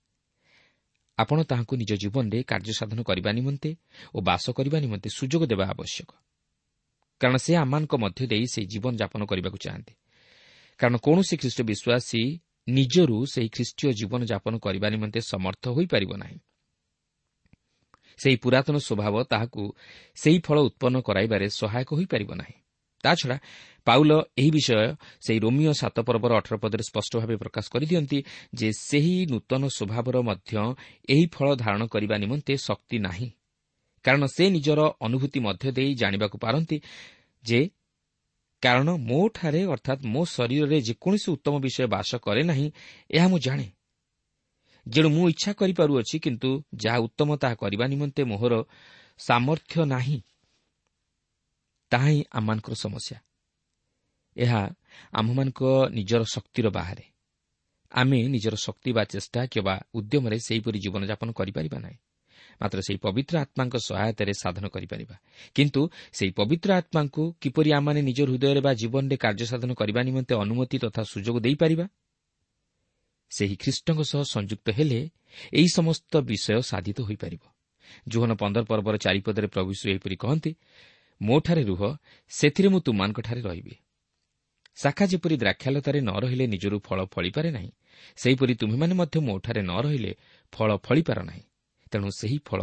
ଆପଣ ତାହାଙ୍କୁ ନିଜ ଜୀବନରେ କାର୍ଯ୍ୟସାଧନ କରିବା ନିମନ୍ତେ ଓ ବାସ କରିବା ନିମନ୍ତେ ସୁଯୋଗ ଦେବା ଆବଶ୍ୟକ, କାରଣ ସେ ଆମମାନଙ୍କ ମଧ୍ୟ ଦେଇ ସେହି ଜୀବନଯାପନ କରିବାକୁ ଚାହାନ୍ତି। କାରଣ କୌଣସି ଖ୍ରୀଷ୍ଟ ବିଶ୍ୱାସୀ ନିଜରୁ ସେହି ଖ୍ରୀଷ୍ଟୀୟ ଜୀବନଯାପନ କରିବା ନିମନ୍ତେ ସମର୍ଥ ହୋଇପାରିବ ନାହିଁ। ସେହି ପୁରାତନ ସ୍ୱଭାବ ତାହାକୁ ସେହି ଫଳ ଉତ୍ପନ୍ନ କରାଇବାରେ ସହାୟକ ହୋଇପାରିବ ନାହିଁ। ତାଛଡ଼ା ପାଉଲ ଏହି ବିଷୟ ସେହି ରୋମିଓ 7 ପର୍ବର 18 ପଦରେ ସ୍ପଷ୍ଟ ଭାବେ ପ୍ରକାଶ କରିଦିଅନ୍ତି ଯେ ସେହି ନୂତନ ସ୍ୱଭାବର ମଧ୍ୟ ଏହି ଫଳ ଧାରଣ କରିବା ନିମନ୍ତେ ଶକ୍ତି ନାହିଁ, କାରଣ ସେ ନିଜର ଅନୁଭୂତି ମଧ୍ୟ ଦେଇ ଜାଣିବାକୁ ପାରନ୍ତି ଯେ କାରଣ ମୋଠାରେ ଅର୍ଥାତ୍ ମୋ ଶରୀରରେ ଯେକୌଣସି ଉତ୍ତମ ବିଷୟ ବାସ କରେ ନାହିଁ, ଏହା ମୁଁ ଜାଣେ। ଯେଣୁ ମୁଁ ଇଚ୍ଛା କରିପାରୁଅଛି, କିନ୍ତୁ ଯାହା ଉତ୍ତମ ତାହା କରିବା ନିମନ୍ତେ ମୋହର ସାମର୍ଥ୍ୟ ନାହିଁ। ତାହା ହିଁ ଆମମାନଙ୍କର ସମସ୍ୟା। ଏହା ଆମ୍ଭମାନଙ୍କ ନିଜର ଶକ୍ତିର ବାହାରେ। ଆମେ ନିଜର ଶକ୍ତି ବା ଚେଷ୍ଟା କିମ୍ବା ଉଦ୍ୟମରେ ସେହିପରି ଜୀବନଯାପନ କରିପାରିବା ନାହିଁ, ମାତ୍ର ସେହି ପବିତ୍ର ଆତ୍ମାଙ୍କ ସହାୟତାରେ ସାଧନ କରିପାରିବା। କିନ୍ତୁ ସେହି ପବିତ୍ର ଆତ୍ମାଙ୍କୁ କିପରି ଆମମାନେ ନିଜ ହୃଦୟରେ ବା ଜୀବନରେ କାର୍ଯ୍ୟସାଧନ କରିବା ନିମନ୍ତେ ଅନୁମତି ତଥା ସୁଯୋଗ ଦେଇପାରିବା? ସେହି ଖ୍ରୀଷ୍ଟଙ୍କ ସହ ସଂଯୁକ୍ତ ହେଲେ ଏହି ସମସ୍ତ ବିଷୟ ସାଧିତ ହୋଇପାରିବ। ଯୋହନ 15 ପର୍ବର 4 ପଦରେ ପ୍ରଭୁ ଯୀଶୁ ଏହିପରି କହନ୍ତି, ମୋଠାରେ ରୁହ, ସେଥିରେ ମୁଁ ତୁମମାନଙ୍କଠାରେ ରହିବି। ଶାଖା ଯେପରି ଦ୍ରାକ୍ଷାଲତାରେ ନ ରହିଲେ ନିଜରୁ ଫଳ ଫଳିପାରେ ନାହିଁ, ସେହିପରି ତୁମେମାନେ ମଧ୍ୟ ମୋଠାରେ ନ ରହିଲେ ଫଳ ଫଳିପାର ନାହିଁ। ତେଣୁ ସେହି ଫଳ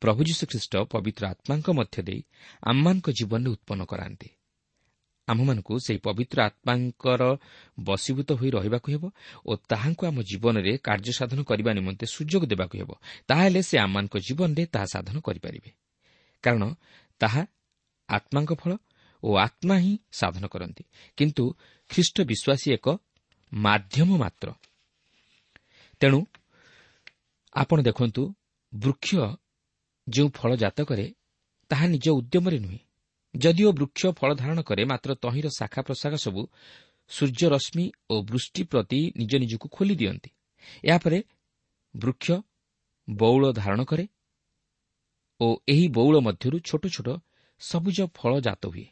ପ୍ରଭୁ ଯୀଶୁଖ୍ରୀଷ୍ଟ ପବିତ୍ର ଆତ୍ମାଙ୍କ ମଧ୍ୟ ଦେଇ ଆମମାନଙ୍କ ଜୀବନରେ ଉତ୍ପନ୍ନ କରାନ୍ତି। ଆମ୍ଭମାନଙ୍କୁ ସେହି ପବିତ୍ର ଆତ୍ମାଙ୍କର ବଶୀଭୂତ ହୋଇ ରହିବାକୁ ହେବ ଓ ତାହାଙ୍କୁ ଆମ ଜୀବନରେ କାର୍ଯ୍ୟସାଧନ କରିବା ନିମନ୍ତେ ସୁଯୋଗ ଦେବାକୁ ହେବ। ତାହେଲେ ସେ ଆମମାନଙ୍କ ଜୀବନରେ ତାହା ସାଧନ କରିପାରିବେ, କାରଣ ତାହା ଆତ୍ମାଙ୍କ ଫଳ ଓ ଆତ୍ମା ହିଁ ସାଧନ କରନ୍ତି। କିନ୍ତୁ ଖ୍ରୀଷ୍ଟ ବିଶ୍ୱାସୀ ଏକ ମାଧ୍ୟମ ମାତ୍ର। ତେଣୁ ଆପଣ ଦେଖନ୍ତୁ, ବୃକ୍ଷ ଯେଉଁ ଫଳ ଜାତ କରେ ତାହା ନିଜ ଉଦ୍ୟମରେ ନୁହେଁ। ଯଦିଓ ବୃକ୍ଷ ଫଳ ଧାରଣ କରେ, ମାତ୍ର ତହିଁର ଶାଖା ପ୍ରଶାଖା ସବୁ ସୂର୍ଯ୍ୟରଶ୍ମି ଓ ବୃଷ୍ଟି ପ୍ରତି ନିଜ ନିଜକୁ ଖୋଲି ଦିଅନ୍ତି। ଏହାପରେ ବୃକ୍ଷ ବଉଳ ଧାରଣ କରେ ଓ ଏହି ବଉଳ ମଧ୍ୟରୁ ଛୋଟ ଛୋଟ ସବୁଜ ଫଳ ଜାତ ହୁଏ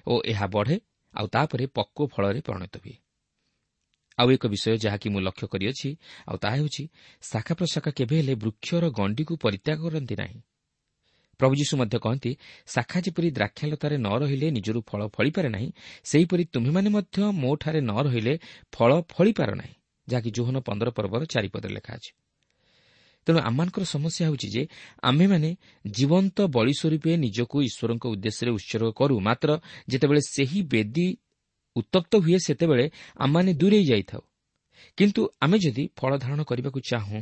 ଓ ଏହା ବଢ଼େ, ଆଉ ତାପରେ ପକ୍ୱ ଫଳରେ ପରିଣତ ହୁଏ। ଆଉ ଏକ ବିଷୟ ଯାହାକି ମୁଁ ଲକ୍ଷ୍ୟ କରିଅଛି, ଆଉ ତାହା ହେଉଛି ଶାଖା ପ୍ରଶାଖା କେବେ ହେଲେ ବୃକ୍ଷର ଗଣ୍ଡିକୁ ପରିତ୍ୟାଗ କରନ୍ତି ନାହିଁ। ପ୍ରଭୁ ଯୀଶୁ ମଧ୍ୟ କହନ୍ତି, ଶାଖା ଯେପରି ଦ୍ରାକ୍ଷାଲତାରେ ନ ରହିଲେ ନିଜରୁ ଫଳ ଫଳିପାରେ ନାହିଁ, ସେହିପରି ତୁମ୍ଭେମାନେ ମଧ୍ୟ ମୋଠାରେ ନ ରହିଲେ ଫଳ ଫଳିପାର ନାହିଁ, ଯାହାକି ଯୋହନ 15 ପର୍ବର 4 ପଦରେ ଲେଖା ଅଛି। ତେଣୁ ଆମମାନଙ୍କର ସମସ୍ୟା ହେଉଛି ଯେ ଆମ୍ଭେମାନେ ଜୀବନ୍ତ ବଳି ସ୍ୱରୂପେ ନିଜକୁ ଈଶ୍ୱରଙ୍କ ଉଦ୍ଦେଶ୍ୟରେ ଉତ୍ସର୍ଗ କରୁ, ମାତ୍ର ଯେତେବେଳେ ସେହି ବେଦୀ ଉତ୍ତପ୍ତ ହୁଏ ସେତେବେଳେ ଆମମାନେ ଦୂରେଇ ଯାଇଥାଉ। କିନ୍ତୁ ଆମେ ଯଦି ଫଳ ଧାରଣ କରିବାକୁ ଚାହୁଁ,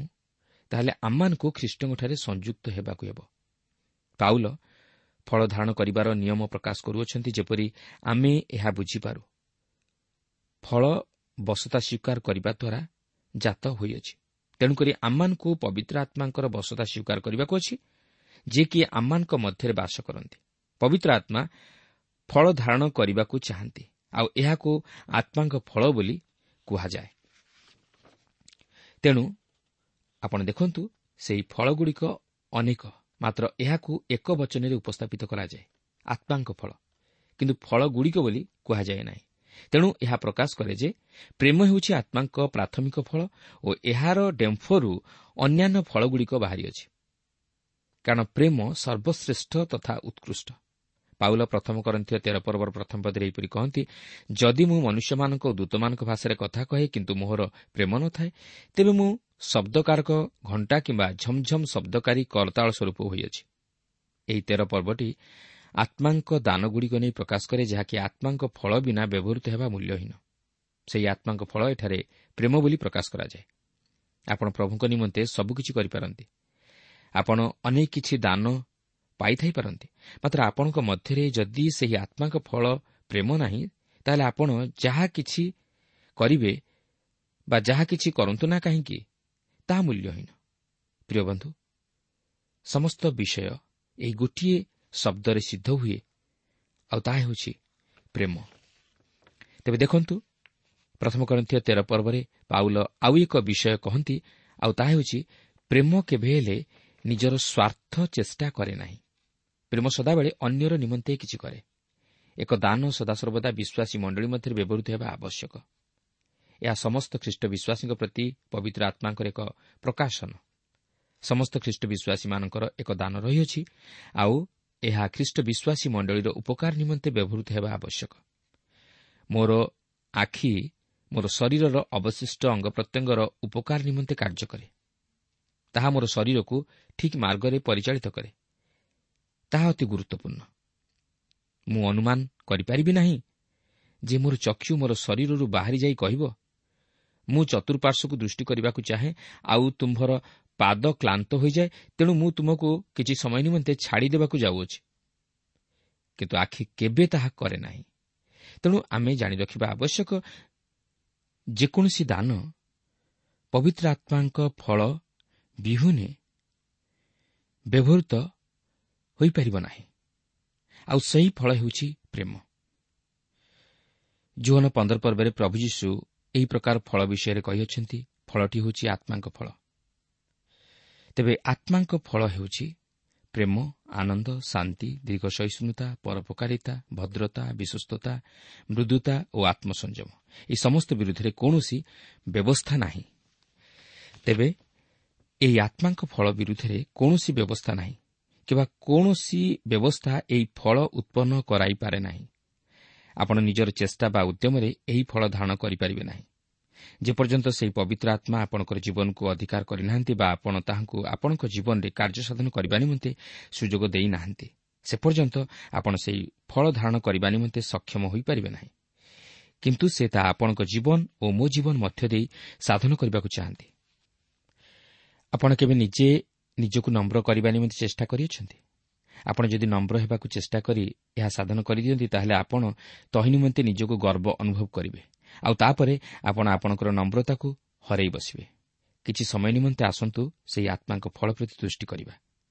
ତାହେଲେ ଆମମାନଙ୍କୁ ଖ୍ରୀଷ୍ଟଙ୍କଠାରେ ସଂଯୁକ୍ତ ହେବାକୁ ହେବ। ପାଉଲ ଫଳ ଧାରଣ କରିବାର ନିୟମ ପ୍ରକାଶ କରୁଅଛନ୍ତି, ଯେପରି ଆମେ ଏହା ବୁଝିପାରୁ। ଫଳ ବଶତା ସ୍ୱୀକାର କରିବା ଦ୍ୱାରା ଜାତ ହୋଇଅଛି। ତେଣୁକରି ଆମମାନଙ୍କୁ ପବିତ୍ର ଆତ୍ମାଙ୍କର ବଶତା ସ୍ୱୀକାର କରିବାକୁ ଅଛି, ଯିଏକି ଆମମାନଙ୍କ ମଧ୍ୟରେ ବାସ କରନ୍ତି। ପବିତ୍ର ଆତ୍ମା ଫଳ ଧାରଣ କରିବାକୁ ଚାହାନ୍ତି, ଆଉ ଏହାକୁ ଆତ୍ମାଙ୍କ ଫଳ ବୋଲି କୁହାଯାଏ। ତେଣୁ ଆପଣ ଦେଖନ୍ତୁ, ସେହି ଫଳଗୁଡ଼ିକ ଅନେକ, ମାତ୍ର ଏହାକୁ ଏକ ବଚନରେ ଉପସ୍ଥାପିତ କରାଯାଏ, ଆତ୍ମାଙ୍କ ଫଳ, କିନ୍ତୁ ଫଳଗୁଡ଼ିକ ବୋଲି କୁହାଯାଏ ନାହିଁ। ତେଣୁ ଏହା ପ୍ରକାଶ କରେ ଯେ ପ୍ରେମ ହେଉଛି ଆତ୍ମାଙ୍କ ପ୍ରାଥମିକ ଫଳ ଓ ଏହାର ଡେମ୍ଫରୁ ଅନ୍ୟାନ୍ୟ ଫଳଗୁଡ଼ିକ ବାହାରିଅଛି, କାରଣ ପ୍ରେମ ସର୍ବଶ୍ରେଷ୍ଠ ତଥା ଉତ୍କୃଷ୍ଟ। ପାଉଲ ପ୍ରଥମ କରନ୍ଥୀୟ 13 ପର୍ବର ପ୍ରଥମ ପଦରେ ଏହିପରି କହନ୍ତି, ଯଦି ମୁଁ ମନୁଷ୍ୟମାନଙ୍କ ଓ ଦୂତମାନଙ୍କ ଭାଷାରେ କଥା କହେ କିନ୍ତୁ ମୋହର ପ୍ରେମ ନଥାଏ, ତେବେ ମୁଁ ଶବ୍ଦକାରକ ଘଣ୍ଟା କିମ୍ବା ଝମଝମ ଶବ୍ଦକାରୀ କରତାଳ ସ୍ୱରୂପ ହୋଇଅଛି। ଏହି 13 ପର୍ବଟି ଆତ୍ମାଙ୍କ ଦାନଗୁଡ଼ିକ ନେଇ ପ୍ରକାଶ କରେ, ଯାହାକି ଆତ୍ମାଙ୍କ ଫଳ ବିନା ବ୍ୟବହୃତ ହେବା ମୂଲ୍ୟହୀନ। ସେହି ଆତ୍ମାଙ୍କ ଫଳ ଏଠାରେ ପ୍ରେମ ବୋଲି ପ୍ରକାଶ କରାଯାଏ। ଆପଣ ପ୍ରଭୁଙ୍କ ନିମନ୍ତେ ସବୁକିଛି କରିପାରନ୍ତି, ଆପଣ ଅନେକ କିଛି ଦାନ ପାଇଥାଇପାରନ୍ତି, ମାତ୍ର ଆପଣଙ୍କ ମଧ୍ୟରେ ଯଦି ସେହି ଆତ୍ମାଙ୍କ ଫଳ ପ୍ରେମ ନାହିଁ, ତାହେଲେ ଆପଣ ଯାହା କିଛି କରିବେ ବା ଯାହା କିଛି କରନ୍ତୁ ନା କାହିଁକି, ତାହା ମୂଲ୍ୟହୀନ। ପ୍ରିୟ ବନ୍ଧୁ, ସମସ୍ତ ବିଷୟ ଏହି ଗୋଟିଏ ଶବ୍ଦରେ ସିଦ୍ଧ ହୁଏ, ଆଉ ତାହା ହେଉଛି ପ୍ରେମ। ତେବେ ଦେଖନ୍ତୁ, ପ୍ରଥମ କରିନ୍ଥୀୟ 13 ପର୍ବରେ ପାଉଲ ଆଉ ଏକ ବିଷୟ କହନ୍ତି, ଆଉ ତାହା ହେଉଛି ପ୍ରେମ କେବେ ହେଲେ ନିଜର ସ୍ୱାର୍ଥ ଚେଷ୍ଟା କରେ ନାହିଁ। ପ୍ରେମ ସଦାବେଳେ ଅନ୍ୟର ନିମନ୍ତେ କିଛି କରେ। ଏକ ଦାନ ସଦାସର୍ବଦା ବିଶ୍ୱାସୀ ମଣ୍ଡଳୀ ମଧ୍ୟରେ ବ୍ୟବହୃତ ହେବା ଆବଶ୍ୟକ। ଏହା ସମସ୍ତ ଖ୍ରୀଷ୍ଟ ବିଶ୍ୱାସୀଙ୍କ ପ୍ରତି ପବିତ୍ର ଆତ୍ମାଙ୍କର ଏକ ପ୍ରକାଶନ। ସମସ୍ତ ଖ୍ରୀଷ୍ଟ ବିଶ୍ୱାସୀମାନଙ୍କର ଏକ ଦାନ ରହିଅଛି, ଆଉ ଏହା ଖ୍ରୀଷ୍ଟ ବିଶ୍ୱାସୀ ମଣ୍ଡଳୀର ଉପକାର ନିମନ୍ତେ ବ୍ୟବହୃତ ହେବା ଆବଶ୍ୟକ। ମୋର ଆଖି ମୋର ଶରୀରର ଅବଶିଷ୍ଟ ଅଙ୍ଗ ପ୍ରତ୍ୟଙ୍ଗର ଉପକାର ନିମନ୍ତେ କାର୍ଯ୍ୟ କରେ। ତାହା ମୋର ଶରୀରକୁ ଠିକ୍ ମାର୍ଗରେ ପରିଚାଳିତ କରେ। ତାହା ଅତି ଗୁରୁତ୍ୱପୂର୍ଣ୍ଣ। ମୁଁ ଅନୁମାନ କରିପାରିବି ନାହିଁ ଯେ ମୋର ଚକ୍ଷୁ ମୋର ଶରୀରରୁ ବାହାରି ଯାଇ କହିବ, ମୁଁ ଚତୁଃପାର୍ଶ୍ୱକୁ ଦୃଷ୍ଟି କରିବାକୁ ଚାହେଁ, ଆଉ ତୁମ୍ଭର ପାଦ କ୍ଳାନ୍ତ ହୋଇଯାଏ, ତେଣୁ ମୁଁ ତୁମକୁ କିଛି ସମୟ ନିମନ୍ତେ ଛାଡ଼ିଦେବାକୁ ଯାଉଅଛି। କିନ୍ତୁ ଆଖି କେବେ ତାହା କରେ ନାହିଁ। ତେଣୁ ଆମେ ଜାଣି ରଖିବା ଆବଶ୍ୟକ, ଯେକୌଣସି ଦାନ ପବିତ୍ର ଆତ୍ମାଙ୍କ ଫଳ ବିହୁନେ ବ୍ୟବହୃତ ହୋଇପାରିବ ନାହିଁ, ଆଉ ସେହି ଫଳ ହେଉଛି ପ୍ରେମ। ଯୋହନ 15 ପର୍ବରେ ପ୍ରଭୁ ଯୀଶୁ ଏହି ପ୍ରକାର ଫଳ ବିଷୟରେ କହିଅଛନ୍ତି। ଫଳଟି ହେଉଛି ଆତ୍ମାଙ୍କ ଫଳ। ତେବେ ଆତ୍ମାଙ୍କ ଫଳ ହେଉଛି ପ୍ରେମ, ଆନନ୍ଦ, ଶାନ୍ତି, ଦୀର୍ଘ ସହିଷ୍ଣୁତା, ପରୋପକାରିତା, ଭଦ୍ରତା, ବିଶ୍ୱସ୍ତତା, ମୃଦୁତା ଓ ଆତ୍ମସଂଯମ। ଏହି ସମସ୍ତ ବିରୁଦ୍ଧରେ କୌଣସି ବ୍ୟବସ୍ଥା ନାହିଁ। ତେବେ ଏହି ଆତ୍ମାଙ୍କ ଫଳ ବିରୁଦ୍ଧରେ କୌଣସି ବ୍ୟବସ୍ଥା ନାହିଁ, କିମ୍ବା କୌଣସି ବ୍ୟବସ୍ଥା ଏହି ଫଳ ଉତ୍ପନ୍ନ କରାଇପାରେ ନାହିଁ। ଆପଣ ନିଜର ଚେଷ୍ଟା ବା ଉଦ୍ୟମରେ ଏହି ଫଳ ଧାରଣ କରିପାରିବେ ନାହିଁ। ଯେପର୍ଯ୍ୟନ୍ତ ସେହି ପବିତ୍ର ଆତ୍ମା ଆପଣଙ୍କର ଜୀବନକୁ ଅଧିକାର କରିନାହାନ୍ତି ବା ଆପଣ ତାହାଙ୍କୁ ଆପଣଙ୍କ ଜୀବନରେ କାର୍ଯ୍ୟସାଧନ କରିବା ନିମନ୍ତେ ସୁଯୋଗ ଦେଇନାହାନ୍ତି, ସେ ପର୍ଯ୍ୟନ୍ତ ଆପଣ ସେହି ଫଳ ଧାରଣ କରିବା ନିମନ୍ତେ ସକ୍ଷମ ହୋଇପାରିବେ ନାହିଁ। କିନ୍ତୁ ସେ ତାହା ଆପଣଙ୍କ ଜୀବନ ଓ ମୋ ଜୀବନ ମଧ୍ୟ ଦେଇ ସାଧନ କରିବାକୁ ଚାହାନ୍ତି। ଆପଣ କେବେ ନିଜେ ନିଜକୁ ନମ୍ର କରିବା ନିମନ୍ତେ ଚେଷ୍ଟା କରିଅଛନ୍ତି? ଆପଣ ଯଦି ନମ୍ର ହେବାକୁ ଚେଷ୍ଟା କରି ଏହା ସାଧନ କରିଦିଅନ୍ତି, ତାହେଲେ ଆପଣ ତହିଁ ନିମନ୍ତେ ନିଜକୁ ଗର୍ବ ଅନୁଭବ କରିବେ, ଆଉ ତାପରେ ଆପଣ ଆପଣଙ୍କର ନମ୍ରତାକୁ ହରାଇ ବସିବେ। କିଛି ସମୟ ନିମନ୍ତେ ଆସନ୍ତୁ ସେହି ଆତ୍ମାଙ୍କ ଫଳ ପ୍ରତି ଦୃଷ୍ଟି କରିବା।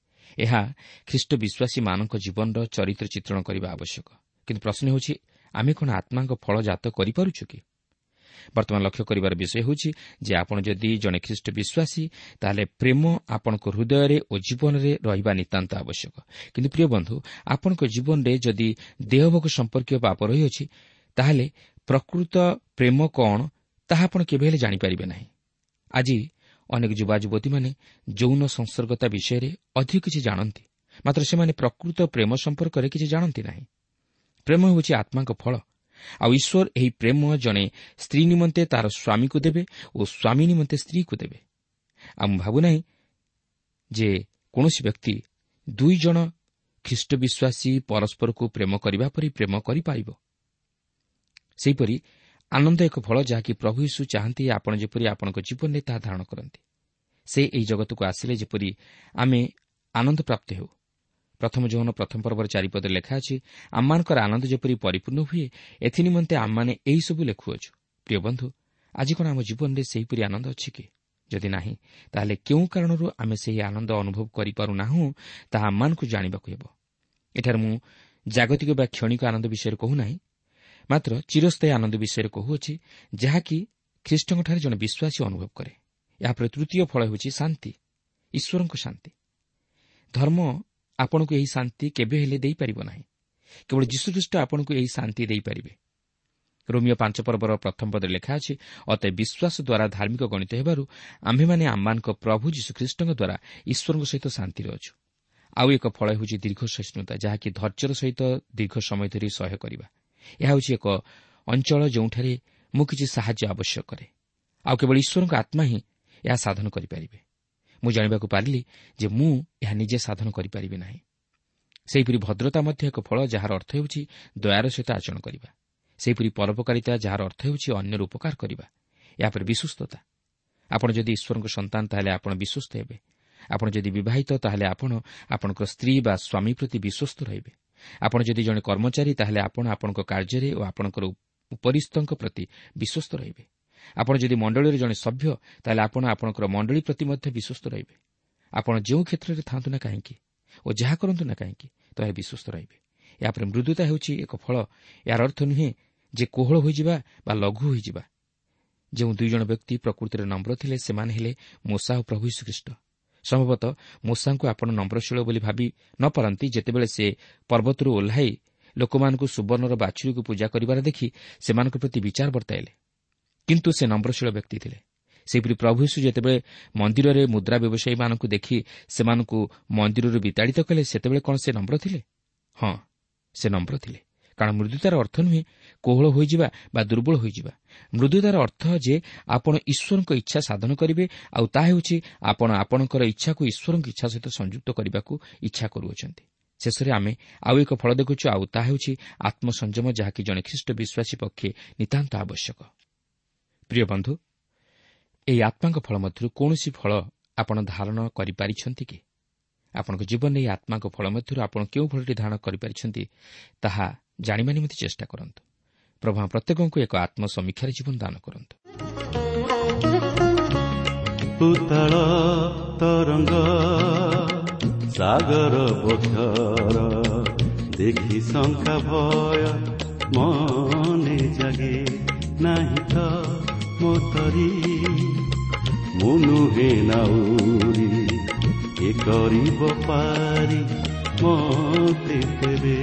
ଏହା ଖ୍ରୀଷ୍ଟ ବିଶ୍ୱାସୀମାନଙ୍କ ଜୀବନର ଚରିତ୍ର ଚିତ୍ରଣ କରିବା ଆବଶ୍ୟକ। କିନ୍ତୁ ପ୍ରଶ୍ନ ହେଉଛି, ଆମେ କ'ଣ ଆତ୍ମାଙ୍କ ଫଳ ଜାତ କରିପାରୁଛୁ କି? ବର୍ତ୍ତମାନ ଲକ୍ଷ୍ୟ କରିବାର ବିଷୟ ହେଉଛି ଯେ ଆପଣ ଯଦି ଜଣେ ଖ୍ରୀଷ୍ଟ ବିଶ୍ୱାସୀ, ତାହେଲେ ପ୍ରେମ ଆପଣଙ୍କ ହୃଦୟରେ ଓ ଜୀବନରେ ରହିବା ନିତାନ୍ତ ଆବଶ୍ୟକ। କିନ୍ତୁ ପ୍ରିୟ ବନ୍ଧୁ, ଆପଣଙ୍କ ଜୀବନରେ ଯଦି ଦେହଭୋଗ ସମ୍ପର୍କୀୟ ପାପ ରହିଅଛି, ତାହେଲେ ପ୍ରକୃତ ପ୍ରେମ କ'ଣ ତାହା ଆପଣ କେବେ ହେଲେ ଜାଣିପାରିବେ ନାହିଁ। ଆଜି ଅନେକ ଯୁବା ଯୁବତୀମାନେ ଯୌନ ସଂସର୍ଗତା ବିଷୟରେ ଅଧିକ କିଛି ଜାଣନ୍ତି, ମାତ୍ର ସେମାନେ ପ୍ରକୃତ ପ୍ରେମ ସମ୍ପର୍କରେ କିଛି ଜାଣନ୍ତି ନାହିଁ। ପ୍ରେମ ହେଉଛି ଆତ୍ମାଙ୍କ ଫଳ, ଆଉ ଈଶ୍ୱର ଏହି ପ୍ରେମ ଜଣେ ସ୍ତ୍ରୀ ନିମନ୍ତେ ତାର ସ୍ୱାମୀକୁ ଦେବେ ଓ ସ୍ୱାମୀ ନିମନ୍ତେ ସ୍ତ୍ରୀକୁ ଦେବେ। ଆଉ ମୁଁ ଭାବୁନାହିଁ ଯେ କୌଣସି ବ୍ୟକ୍ତି ଦୁଇ ଜଣ ଖ୍ରୀଷ୍ଟ ବିଶ୍ୱାସୀ ପରସ୍ପରକୁ ପ୍ରେମ କରିବା ପରି ପ୍ରେମ କରିପାରିବ। ସେହିପରି ଆନନ୍ଦ ଏକ ଫଳ ଯାହାକି ପ୍ରଭୁ ଯୀଶୁ ଚାହାନ୍ତି ଆପଣ ଯେପରି ଆପଣଙ୍କ ଜୀବନରେ ତାହା ଧାରଣ କରନ୍ତି। ସେ ଏହି ଜଗତକୁ ଆସିଲେ ଯେପରି ଆମେ ଆନନ୍ଦ ପ୍ରାପ୍ତ ହେଉ। ପ୍ରଥମ ଯୋହନ 1 ପର୍ବର 4 ପଦରେ ଲେଖା ଅଛି, ଆମମାନଙ୍କର ଆନନ୍ଦ ଯେପରି ପରିପୂର୍ଣ୍ଣ ହୁଏ ଏଥିନିମନ୍ତେ ଆମମାନେ ଏହିସବୁ ଲେଖୁଅଛୁ। ପ୍ରିୟ ବନ୍ଧୁ, ଆଜି କ'ଣ ଆମ ଜୀବନରେ ସେହିପରି ଆନନ୍ଦ ଅଛି କି? ଯଦି ନାହିଁ, ତାହେଲେ କେଉଁ କାରଣରୁ ଆମେ ସେହି ଆନନ୍ଦ ଅନୁଭବ କରିପାରୁନାହୁଁ ତାହା ଆମମାନଙ୍କୁ ଜାଣିବାକୁ ହେବ। ଏଠାରେ ମୁଁ ଜାଗତିକ ବା କ୍ଷଣିକ ଆନନ୍ଦ ବିଷୟରେ କହୁନାହିଁ, ମାତ୍ର ଚିରସ୍ଥାୟୀ ଆନନ୍ଦ ବିଷୟରେ କହୁଅଛି, ଯାହାକି ଖ୍ରୀଷ୍ଟଙ୍କଠାରେ ଜଣେ ବିଶ୍ୱାସୀ ଅନୁଭବ କରେ। ଏହାପରେ ତୃତୀୟ ଫଳ ହେଉଛି ଶାନ୍ତି, ଈଶ୍ୱରଙ୍କ ଶାନ୍ତି। ଧର୍ମ ଆପଣଙ୍କୁ ଏହି ଶାନ୍ତି କେବେ ହେଲେ ଦେଇପାରିବ ନାହିଁ। କେବଳ ଯୀଶୁଖ୍ରୀଷ୍ଟ ଆପଣଙ୍କୁ ଏହି ଶାନ୍ତି ଦେଇପାରିବେ। ରୋମିଓ 5 ପର୍ବର ପ୍ରଥମ ପଦରେ ଲେଖା ଅଛି, ଅତଏବ ବିଶ୍ୱାସ ଦ୍ୱାରା ଧାର୍ମିକ ଗଣିତ ହେବାରୁ ଆମ୍ଭେମାନେ ଆମମାନଙ୍କ ପ୍ରଭୁ ଯୀଶୁଖ୍ରୀଷ୍ଟଙ୍କ ଦ୍ୱାରା ଈଶ୍ୱରଙ୍କ ସହିତ ଶାନ୍ତିରେ ଅଛୁ। ଆଉ ଏକ ଫଳ ହେଉଛି ଦୀର୍ଘ ସହିଷ୍ଣୁତା, ଯାହାକି ଧୈର୍ଯ୍ୟର ସହିତ ଦୀର୍ଘ ସମୟ ଧରି ସହ୍ୟ କରିବା। ଏହା ହେଉଛି ଏକ ଅଞ୍ଚଳ ଯେଉଁଠାରେ ମୁଁ କିଛି ସାହାଯ୍ୟ ଆବଶ୍ୟକ କରେ, ଆଉ କେବଳ ଈଶ୍ୱରଙ୍କ ଆତ୍ମା ହିଁ ଏହା ସାଧନ କରିପାରିବେ। ମୁଁ ଜାଣିବାକୁ ପାରିଲି ଯେ ମୁଁ ଏହା ନିଜେ ସାଧନ କରିପାରିବି ନାହିଁ। ସେହିପରି ଭଦ୍ରତା ମଧ୍ୟ ଏକ ଫଳ, ଯାହାର ଅର୍ଥ ହେଉଛି ଦୟାର ସହିତ ଆଚରଣ କରିବା। ସେହିପରି ପରୋପକାରିତା, ଯାହାର ଅର୍ଥ ହେଉଛି ଅନ୍ୟର ଉପକାର କରିବା। ଏହାପରେ ବିଶ୍ୱସ୍ତତା। ଆପଣ ଯଦି ଈଶ୍ୱରଙ୍କ ସନ୍ତାନ, ତାହେଲେ ଆପଣ ବିଶ୍ୱସ୍ତ ହେବେ। ଆପଣ ଯଦି ବିବାହିତ, ତାହେଲେ ଆପଣ ଆପଣଙ୍କ ସ୍ତ୍ରୀ ବା ସ୍ୱାମୀ ପ୍ରତି ବିଶ୍ୱସ୍ତ ରହିବେ। ଆପଣ ଯଦି ଜଣେ କର୍ମଚାରୀ, ତାହେଲେ ଆପଣ ଆପଣଙ୍କ କାର୍ଯ୍ୟରେ ଓ ଆପଣଙ୍କର ଉପରିସ୍ଥଙ୍କ ପ୍ରତି ବିଶ୍ୱସ୍ତ ରହିବେ। ଆପଣ ଯଦି ମଣ୍ଡଳୀର ଜଣେ ସଭ୍ୟ, ତାହେଲେ ଆପଣ ଆପଣଙ୍କର ମଣ୍ଡଳୀ ପ୍ରତି ମଧ୍ୟ ବିଶ୍ୱସ୍ତ ରହିବେ। ଆପଣ ଯେଉଁ କ୍ଷେତ୍ରରେ ଥାଆନ୍ତୁ ନା କାହିଁକି ଓ ଯାହା କରନ୍ତୁ ନା କାହିଁକି, ତାହେଲେ ବିଶ୍ୱସ୍ତ ରହିବେ। ଏହାପରେ ମୃଦୁତା ହେଉଛି ଏକ ଫଳ। ଏହାର ଅର୍ଥ ନୁହେଁ ଯେ କୋହଳ ହୋଇଯିବା ବା ଲଘୁ ହୋଇଯିବା। ଯେଉଁ ଦୁଇ ଜଣ ବ୍ୟକ୍ତି ପ୍ରକୃତିରେ ନମ୍ର ଥିଲେ, ସେମାନେ ହେଲେ ମୋଶା ଓ ପ୍ରଭୁ ଯୀଶୁଖ୍ରୀଷ୍ଟ। ସମ୍ଭବତଃ ମୋଶାଙ୍କୁ ଆପଣ ନମ୍ରଶୀଳ ବୋଲି ଭାବି ନ ପାରନ୍ତି, ଯେତେବେଳେ ସେ ପର୍ବତରୁ ଓହ୍ଲାଇ ଲୋକମାନଙ୍କୁ ସୁବର୍ଣ୍ଣର ବାଛୁରୀକୁ ପୂଜା କରିବାର ଦେଖି ସେମାନଙ୍କ ପ୍ରତି ବିଚାର ବର୍ତ୍ତାଇଲେ, କିନ୍ତୁ ସେ ନମ୍ରଶୀଳ ବ୍ୟକ୍ତି ଥିଲେ। ସେହିପରି ପ୍ରଭୁ ଯୀଶୁ ଯେତେବେଳେ ମନ୍ଦିରରେ ମୁଦ୍ରା ବ୍ୟବସାୟୀମାନଙ୍କୁ ଦେଖି ସେମାନଙ୍କୁ ମନ୍ଦିରରୁ ବିତାଡ଼ିତ କଲେ, ସେତେବେଳେ କ'ଣ ସେ ନମ୍ର ଥିଲେ? ହଁ, ସେ ନମ୍ର ଥିଲେ। କାରଣ ମୃଦୁତାର ଅର୍ଥ ନୁହେଁ କୋହଳ ହୋଇଯିବା ବା ଦୁର୍ବଳ ହୋଇଯିବା। ମୃଦୁତାର ଅର୍ଥ ଯେ ଆପଣ ଈଶ୍ୱରଙ୍କ ଇଚ୍ଛା ସାଧନ କରିବେ, ଆଉ ତାହା ହେଉଛି ଆପଣ ଆପଣଙ୍କର ଇଚ୍ଛାକୁ ଈଶ୍ୱରଙ୍କ ଇଚ୍ଛା ସହିତ ସଂଯୁକ୍ତ କରିବାକୁ ଇଚ୍ଛା କରୁଅଛନ୍ତି। ଶେଷରେ ଆମେ ଆଉ ଏକ ଫଳ ଦେଖୁଛୁ, ଆଉ ତାହା ହେଉଛି ଆତ୍ମସଂଯମ, ଯାହାକି ଜଣେ ଖ୍ରୀଷ୍ଟ ବିଶ୍ୱାସୀ ପକ୍ଷେ ନିତାନ୍ତ ଆବଶ୍ୟକ। ପ୍ରିୟ ବନ୍ଧୁ, ଏହି ଆତ୍ମାଙ୍କ ଫଳ ମଧ୍ୟରୁ କୌଣସି ଫଳ ଆପଣ ଧାରଣ କରିପାରିଛନ୍ତି କି? ଆପଣଙ୍କ ଜୀବନରେ ଏହି ଆତ୍ମାଙ୍କ ଫଳ ମଧ୍ୟରୁ ଆପଣ କେଉଁ ଫଳଟି ଧାରଣ କରିପାରିଛନ୍ତି ତାହା ଜାଣିବା ନିମନ୍ତେ ଚେଷ୍ଟା କରନ୍ତୁ। ପ୍ରଭୁ ପ୍ରତ୍ୟେକଙ୍କୁ ଏକ ଆତ୍ମସମୀକ୍ଷାର ଜୀବନ ଦାନ କରନ୍ତୁ। ଉତ୍ତଳ ତରଙ୍ଗ ସାଗର ବକ୍ଷର ଦେଖି ଶଙ୍କା ଭୟ ମନେ ଜାଗେ ନାହିଁ ତ ମୋତରି, ମୁଁ ନୁହେଁ ନାଉରି ଏ କରିବ ପାରି ମତେ ତେବେ,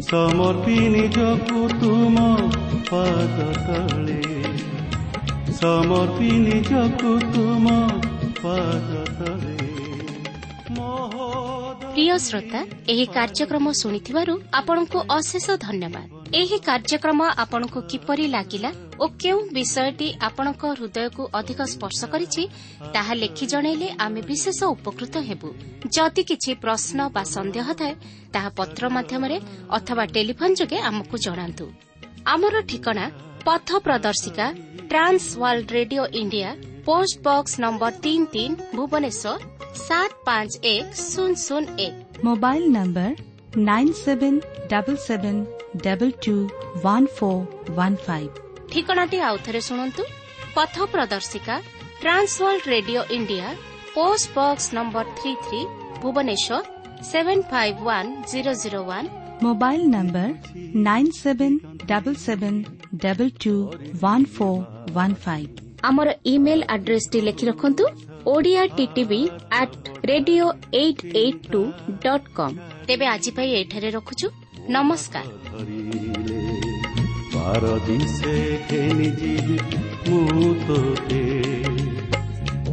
ସମର୍ପି ନିଜକୁ ତୁମ ପାଦ ତଳେ, ସମର୍ପି ନିଜକୁ ତୁମ ପାଦ ତଳେ। ପ୍ରିୟ ଶ୍ରୋତା, ଏହି କାର୍ଯ୍ୟକ୍ରମ ଶୁଣିଥିବାରୁ ଆପଣଙ୍କୁ ଅଶେଷ ଧନ୍ୟବାଦ। ଏହି କାର୍ଯ୍ୟକ୍ରମ ଆପଣଙ୍କୁ କିପରି ଲାଗିଲା ଓ କେଉଁ ବିଷୟଟି ଆପଣଙ୍କ ହୃଦୟକୁ ଅଧିକ ସ୍ପର୍ଶ କରିଛି ତାହା ଲେଖି ଜଣାଇଲେ ଆମେ ବିଶେଷ ଉପକୃତ ହେବୁ। ଯଦି କିଛି ପ୍ରଶ୍ନ ବା ସନ୍ଦେହ ଥାଏ, ତାହା ପତ୍ର ମାଧ୍ୟମରେ ଅଥବା ଟେଲିଫୋନ୍ ଯୋଗେ ଆମକୁ ଜଣାନ୍ତୁ। ଆମର ଠିକଣା ପଥ ପ୍ରଦର୍ଶିକା, Trans World Radio India, post box number 33, Bhubaneswar 751001। Mobile number 9777221415। ଠିକଣାଟି ଆଉଥରେ ଶୁଣନ୍ତୁ। ପଥ ପ୍ରଦର୍ଶିକା, Trans World Radio India, post box number 33, Bhubaneswar 751001। Mobile number 9777221415। ଆମର ଇମେଲ୍ ଆଡ୍ରେସଟି ଲେଖି ରଖନ୍ତୁ, Odia TTV at radio 882.com। ତେବେ ଆଜି ପାଇଁ ଏଠାରେ ରଖୁଛୁ। ନମସ୍କାର। ପାରଦିଶେ ଘେନି ଯିବି ମୁଁ ତୋତେ,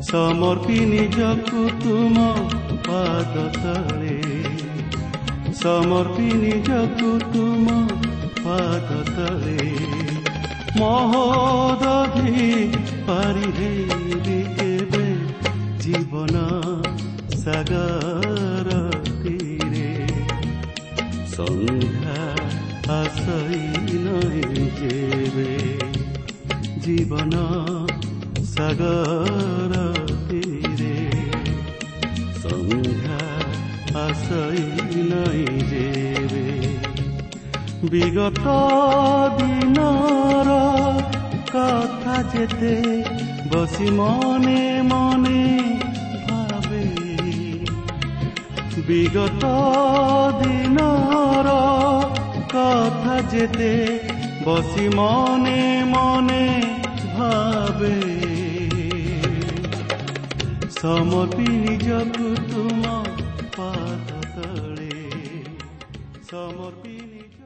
ସମର୍ପି ନିଜକୁ ତୁମ ପାଦ ତଳେ, ସମର୍ପି ନିଜକୁ ତୁମ ପାଦ ତଳେ, ମହୋଦଧି ପାରି ହେବି କେବେ ଜୀବନ ସାଗର ତୀରେ, ସନ୍ଧ୍ୟା ଆସଇ ନଇଁ ଯେବେ ଜୀବନ ସାଗର ତୀରେ, ସନ୍ଧ୍ୟା ଆସଇ ନଇଁ ଯେବେ, ବିଗତ ଦିନର କଥା ଯେତେ ବସି ମନେ ମନେ ଭାବେ, ବିଗତ ଦିନର କଥା ଯେତେ ବସି ମନେ ମନେ ଭାବେ, ସମର୍ପି ନିଜକୁ ତୁମ ପାଦ ତଳେ, ସମର୍ପି ନିଜ